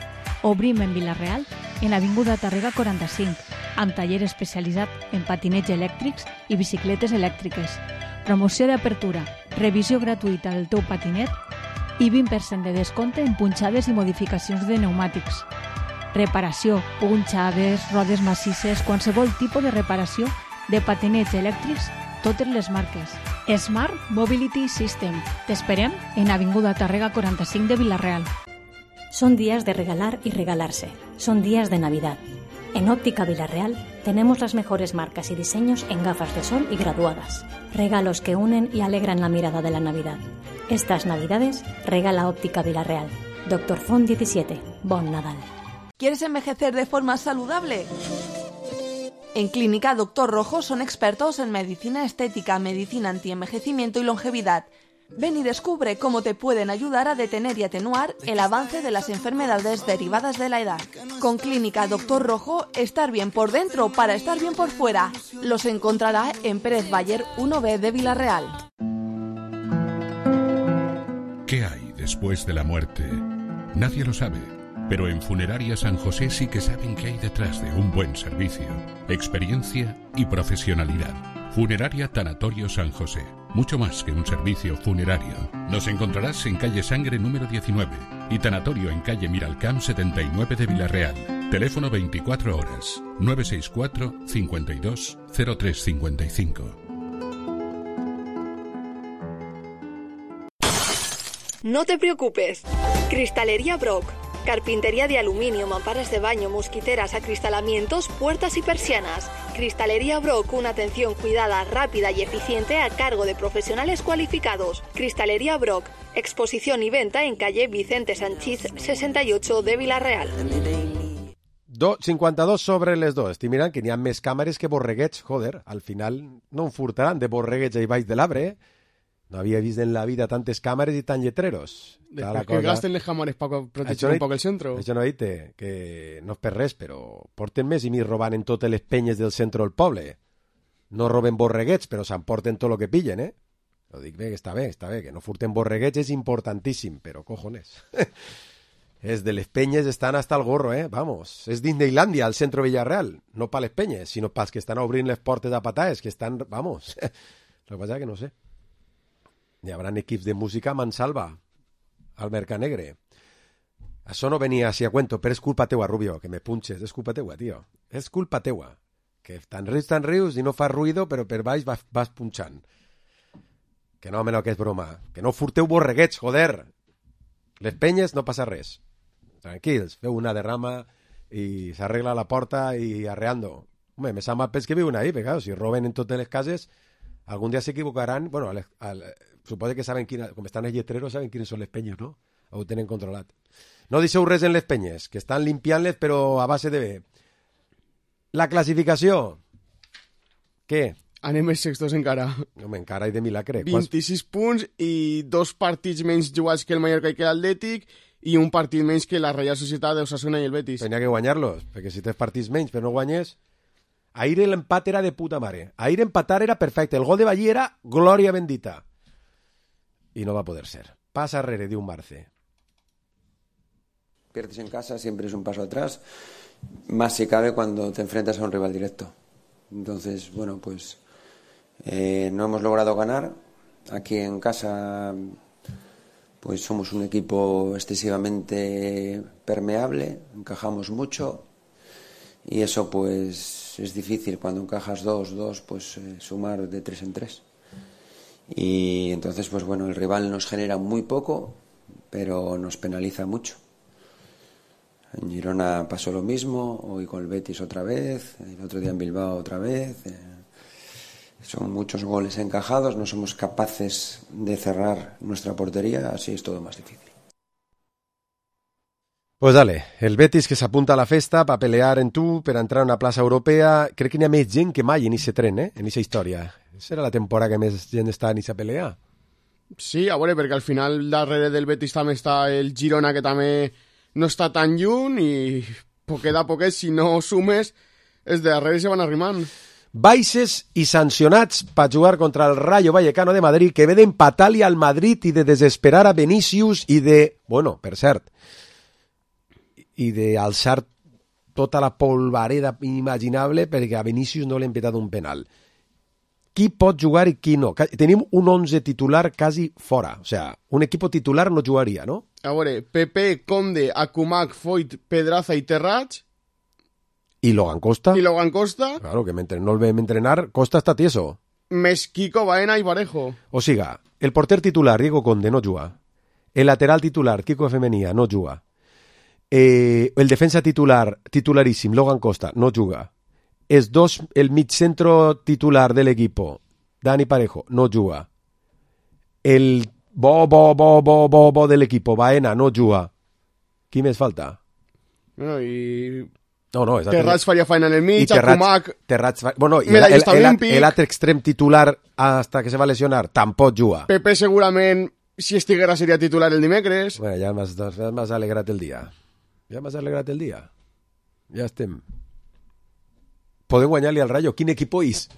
Obrim en Vila-real, en l'avinguda Tàrrega 45, amb taller especialitzat en patinets elèctrics i bicicletes elèctriques. Promoció d'apertura, revisió gratuïta del teu patinet i 20% de descompte en punxades i modificacions de pneumàtics. Reparació, punxades, rodes massisses, qualsevol tipus de reparació de patinets elèctrics, totes les marques. Smart Mobility System. T'esperem en Avinguda Tàrrega 45 de Vila-real. Son días de regalar y regalarse. Son días de Navidad. En Óptica Vila-real tenemos las mejores marcas y diseños en gafas de sol y graduadas. Regalos que unen y alegran la mirada de la Navidad. Estas Navidades regala Óptica Vila-real. Dr. Font 17. Bon Nadal. ¿Quieres envejecer de forma saludable? En Clínica Dr. Rojo son expertos en medicina estética, medicina antienvejecimiento y longevidad. Ven y descubre cómo te pueden ayudar a detener y atenuar el avance de las enfermedades derivadas de la edad. Con Clínica Dr. Rojo, estar bien por dentro para estar bien por fuera. Los encontrará en Pérez Bayer 1B de Vila-real. ¿Qué hay después de la muerte? Nadie lo sabe. Pero en Funeraria San José sí que saben qué hay detrás de un buen servicio, experiencia y profesionalidad. Funeraria Tanatorio San José. Mucho más que un servicio funerario. Nos encontrarás en calle Sangre número 19 y Tanatorio en calle Miralcamp 79 de Vila-real. Teléfono 24 horas 964 52 0355. No te preocupes. Cristalería Brock. Carpintería de aluminio, mamparas de baño, mosquiteras, acristalamientos, puertas y persianas. Cristalería Brock, una atención cuidada, rápida y eficiente a cargo de profesionales cualificados. Cristalería Brock, exposición y venta en calle Vicente Sanchís 68 de Vila-real. 52 sobre les dos. Estic mirant que n'hi ha més càmeres que borreguets. Joder, al final no en furtaran de borreguets ahí baix de l'arbre, eh? No havia vist en la vida tantes càmeres i tan lletreros. Després que gasten les càmeres per protegir un poc el centre. Això no he dit que no és per res, però porten més i més robant en totes les penyes del centre del poble. No roben borreguets, però s'emporten tot el que pillen, eh? Ho dic bé, està bé, que no furten borreguets és importantíssim, però cojones. És de les penyes estan hasta el gorro, vamos. És Disneylandia, al centro Villarreal. No pa les penyes, sinó pels que estan obrint les portes a pataes, que estan, vamos. Lo que passa que no sé. Hi haurà equips de música a Mansalva, al Mercanegre. Això no venia així a cuento, però és culpa teua, Rubio, que me punxes. És culpa teua, tio. És culpa teua. Que tan rius, i no fas ruïdo, però per baix vas punxant. Que no, que és broma. Que no furteu borreguets, joder. Les penyes no passa res. Tranquils, feu una derrama i s'arregla la porta i arreando. Home, me sap mal pels que viuen ahí, perquè claro, si roben en totes les cases, algun dia s'equivocaran. Bueno, suposo que saben com estan els lletreros, saben quines són les penyes, no? Ho tenen controlat. No deixeu res en les penyes, que estan limpiant-les, però a base de bé. La classificació. Què? Anem els sextos encara. Home, encara i de milagre. 26 punts i 2 partits menys jugats que el Mallorca i que l'Atlètic i un partit menys que la Real Societat, Osasuna i el Betis. Tenia que guanyar-los, perquè si tens partits menys però no guanyes... Ahir l'empat era de puta mare. Ahir empatar era perfecte. El gol de Ballí era glòria bendita. I no va poder ser. Pasa arrere, diu Marce. Pierdes en casa, siempre es un paso atrás, más si cabe cuando te enfrentas a un rival directo. Entonces, bueno, pues no hemos logrado ganar. Aquí en casa, pues somos un equipo excesivamente permeable, encajamos mucho y eso pues es difícil. Cuando encajas dos, pues sumar de 3 en 3. Y entonces, pues bueno, el rival nos genera muy poco, pero nos penaliza mucho. En Girona pasó lo mismo, hoy con el Betis otra vez, el otro día en Bilbao otra vez. Son muchos goles encajados, no somos capaces de cerrar nuestra portería, así es todo más difícil. Pues dale, el Betis que s'apunta a la festa per pelear en tu, per entrar a una plaça europea. Crec que n'hi ha més gent que mai en aquest tren, en aquesta història. Serà la temporada que més gent està en aquesta pelea. Sí, a veure, perquè al final darrere del Betis també està el Girona, que també no està tan lluny i poquet a poquet, si no sumes, els de darrere se van arrimant. Baixes i sancionats per jugar contra el Rayo Vallecano de Madrid, que ve d'empatar-li al Madrid i de desesperar a Vinícius i de, bueno, per cert, i d'alçar tota la polvareda imaginable perquè a Vinícius no li han petat un penal. Qui pot jugar i qui no? Tenim un 11 titular quasi fora. O sea, un equip titular no jugaria, ¿no? A veure, Pepe, Conde, Akumak, Foyt, Pedraza i Terrats. I Logan Costa. Claro, que mentre no el vam entrenar, Costa està tieso. Més Kiko, Baena i Parejo. O siga, el porter titular, Diego Conde, no juga. El lateral titular, Kiko Femenía, no juga. El defensa titularíssim, Logan Costa, no juga. El migcentro titular del equipo, Dani Parejo, no juga. El bo del equipo, Baena, no juga. Qui més falta? Bueno, i... No, Terrats faria feina en el mig, Akumak... Bueno, el altre extrem titular hasta que se va lesionar tampoc juga. Pepe segurament, si estiguera, seria titular el dimecres. Bueno, ja m'has alegrat el dia. Ja estem. Podem guanyar-li al Rayo. Quin equip és?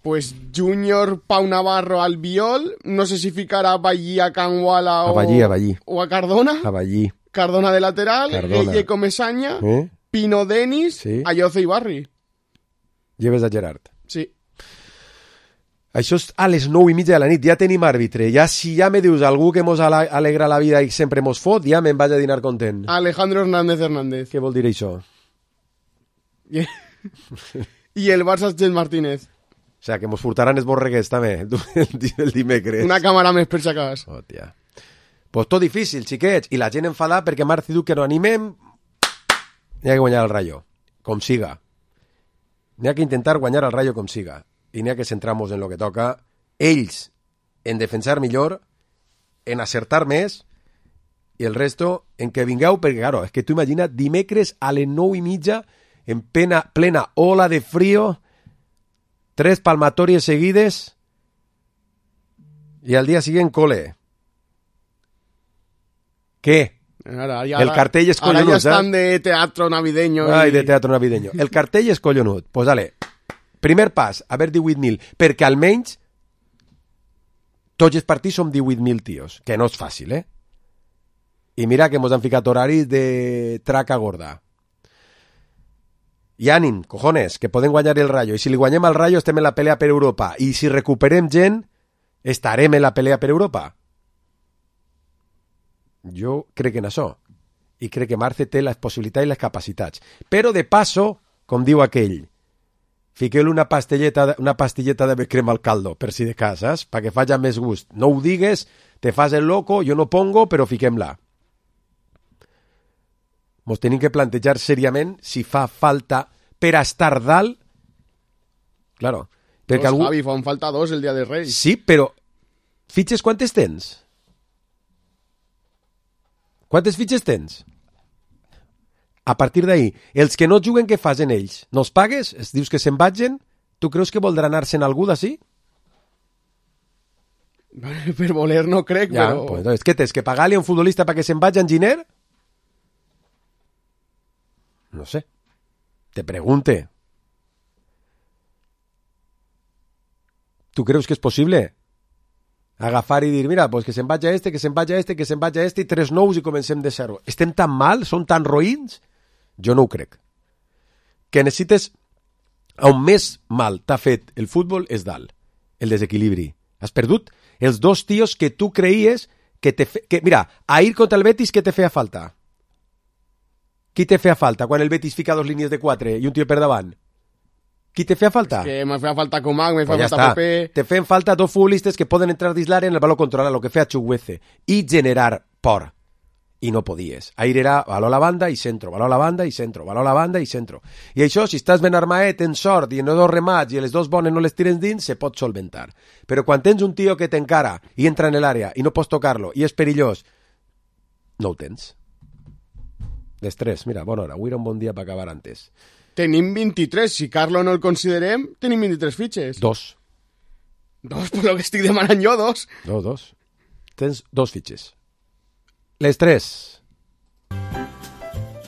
Pues Júnior, Pau Navarro, Albiol, no sé si ficarà a Ballí, a Canguala o a Cardona. A Ballí. Cardona de lateral, Gueye Comesaña, Pino Denis, Ayoce i Barri. Lleves a Gerard. Sí. Això és a les 9:30 de la nit, ja tenim àrbitre. Ja si ja me dius algú que mos alegra la vida i sempre mos fot, ja me'n vaig a dinar content. Alejandro Hernández. Què vol dir això? I el Barça Gil Martínez. O sea, que mos furtaran els borreguets també, el dimecres. Una càmera més per si acabes. Hòstia. Pues tot difícil, xiquets. I la gent enfadada perquè Marc diu que no animem. N'hi ha que guanyar el Rayo, com siga. N'hi ha que intentar guanyar el Rayo com siga. I n'hi ha que centrar-nos en lo que toca. Ells en defensar millor, en acertar més, i el resto en que vingueu, perquè, claro, és que tu imagina dimecres a les 9:30 en plena ola de frío, 3 palmatòries seguides i al dia siguiente cole. Què? El cartell és collonut. Ara ja estan de teatro navideño. Ai, de teatro navideño. El cartell és collonut. Pues dale, primer pas, a ver 18.000, perquè almenys Tots els partits som 18.000 tios, que no és fàcil, eh? I mira que mos han ficat horaris de traca gorda. I ànim, cojones, que podem guanyar el Rayo. I si li guanyem al Rayo estem en la pelea per Europa. I si recuperem gent, estarem en la pelea per Europa. Jo crec en això. I crec que Marce té les possibilitats i les capacitats. Però de passo, com diu aquell, fiqueu-li una pastilleta de crema al caldo, per si de cas, saps? Perquè faci més gust. No ho digues, te fas el loco, jo no pongo, però fiquem-la. Mos tenim que plantejar seriament si fa falta per estar dalt. Claro. Perquè algú... Javi, fan falta 2 el dia de Reis. Sí, però fitxes quantes tens? Quantes fitxes tens? A partir d'ahí, els que no juguen, què fas en ells? No els pagues? Els dius que se'n vagin? Tu creus que voldrà anar-se'n algú d'ací? Per voler no crec, ja, però... Pues, entonces, què tens? Que pagar-li a un futbolista perquè se'n vagi en Giner? No sé. Te pregunte. ¿Tú creus que és possible? Agafar i dir, mira, pues que se'n vagi este, que se'n vagi este, que se'n vagi este, i 3 nous i comencem de zero. Estem tan mal? Són tan roïns? Jo no ho crec. Que necessites... On més mal t'ha fet el futbol és dalt. El desequilibri. Has perdut els 2 tios que tu creies que te... Mira, ahir contra el Betis, què te feia falta? Qui te feia falta quan el Betis fica 2 línies de 4 i un tio per davant? Qui te feia falta? És que me feia falta Comac, me feia falta Pepe... Te feien falta 2 futbolistes que poden entrar dins l'àrea en el baló controlar, lo que feia Chukwueze, i generar por. I no podies. Ahir era baló a la banda i centro, baló a la banda i centro, baló a la banda i centro. I això, si estàs ben armaet, en sort, i en 2 remats, i les 2 bones no les tires dins, se pot solventar. Però quan tens un tio que t'encara i entra en l'àrea i no pots tocar-lo, i és perillós, no ho tens. D'estrès, mira, bona hora, avui era un bon dia per acabar antes. Tenim 23, si Carlo no el considerem, tenim 23 fitxes. 2. 2, per lo que estic demanant jo, 2. 2. Tens 2 fitxes. Les 3.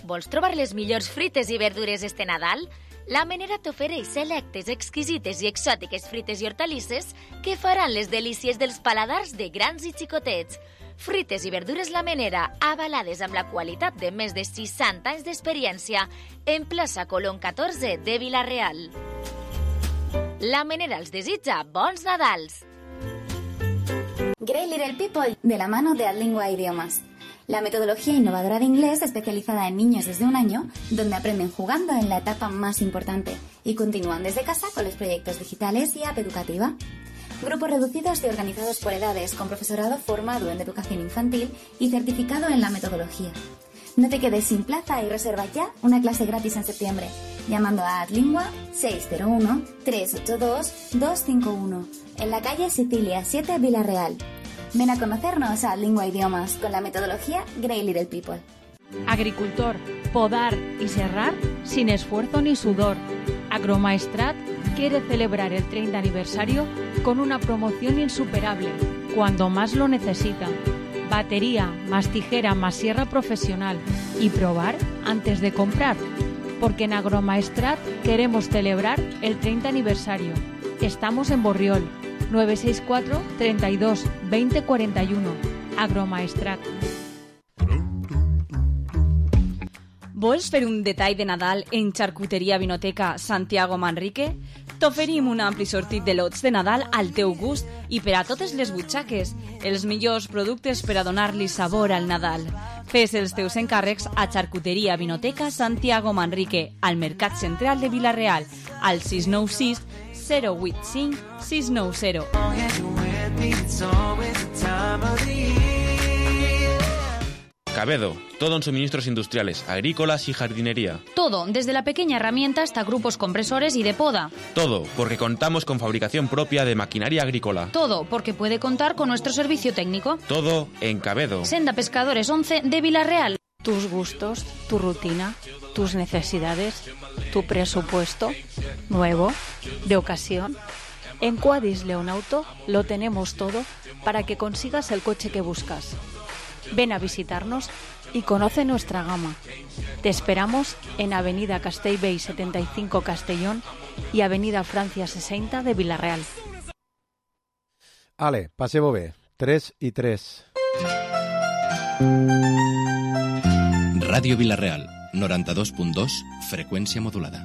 Vols trobar les millors fruites i verdures este Nadal? La Menera t'ofereix selectes, exquisites i exòtiques fruites i hortalisses que faran les delícies dels paladars de grans i xicotets. Fruites i verdures La Menera, avalades amb la qualitat de més de 60 anys d'experiència, en plaça Colón 14 de Vila-real. La Menera els desitja bons Nadals. Great Little People, de la mano de Adlingua Idiomas. La metodología innovadora de inglés especializada en niños desde 1 año, donde aprenden jugando en la etapa más importante y continúan desde casa con los proyectos digitales y app educativa. Grupos reducidos y organizados por edades, con profesorado formado en educación infantil y certificado en la metodología. No te quedes sin plaza y reserva ya una clase gratis en septiembre, llamando a Adlingua 601-382-251, en la calle Sicilia 7, Vila-real. Ven a conocernos a Adlingua Idiomas con la metodología Great Little People. Agricultor, podar y serrar sin esfuerzo ni sudor. Agromaestrat quiere celebrar el 30 aniversario con una promoción insuperable, cuando más lo necesitan. Batería, más tijera, más sierra profesional y probar antes de comprar. Porque en Agromaestrat queremos celebrar el 30 aniversario. Estamos en Borriol, 964 32 20 41. Agromaestrat. Vols fer un detall de Nadal en Xarcuteria Vinoteca Santiago Manrique? T'oferim un ampli sortit de lots de Nadal al teu gust i per a totes les butxaques, els millors productes per a donar-li sabor al Nadal. Fes els teus encàrrecs a Xarcuteria Vinoteca Santiago Manrique, al Mercat Central de Vila-real, al 696 085 690. Cabedo, todo en suministros industriales, agrícolas y jardinería. Todo, desde la pequeña herramienta hasta grupos compresores y de poda. Todo, porque contamos con fabricación propia de maquinaria agrícola. Todo, porque puede contar con nuestro servicio técnico. Todo en Cabedo. Senda Pescadores 11 de Vila-real. Tus gustos, tu rutina, tus necesidades, tu presupuesto, nuevo, de ocasión. En Quadis León Auto lo tenemos todo para que consigas el coche que buscas. Ven a visitarnos y conoce nuestra gama. Te esperamos en Avenida Castellbell 75 Castellón y Avenida Francia 60 de Vila-real. Ale, passeu-ho bé. 3 i 3. Ràdio Vila-real, 92.2, freqüència modulada.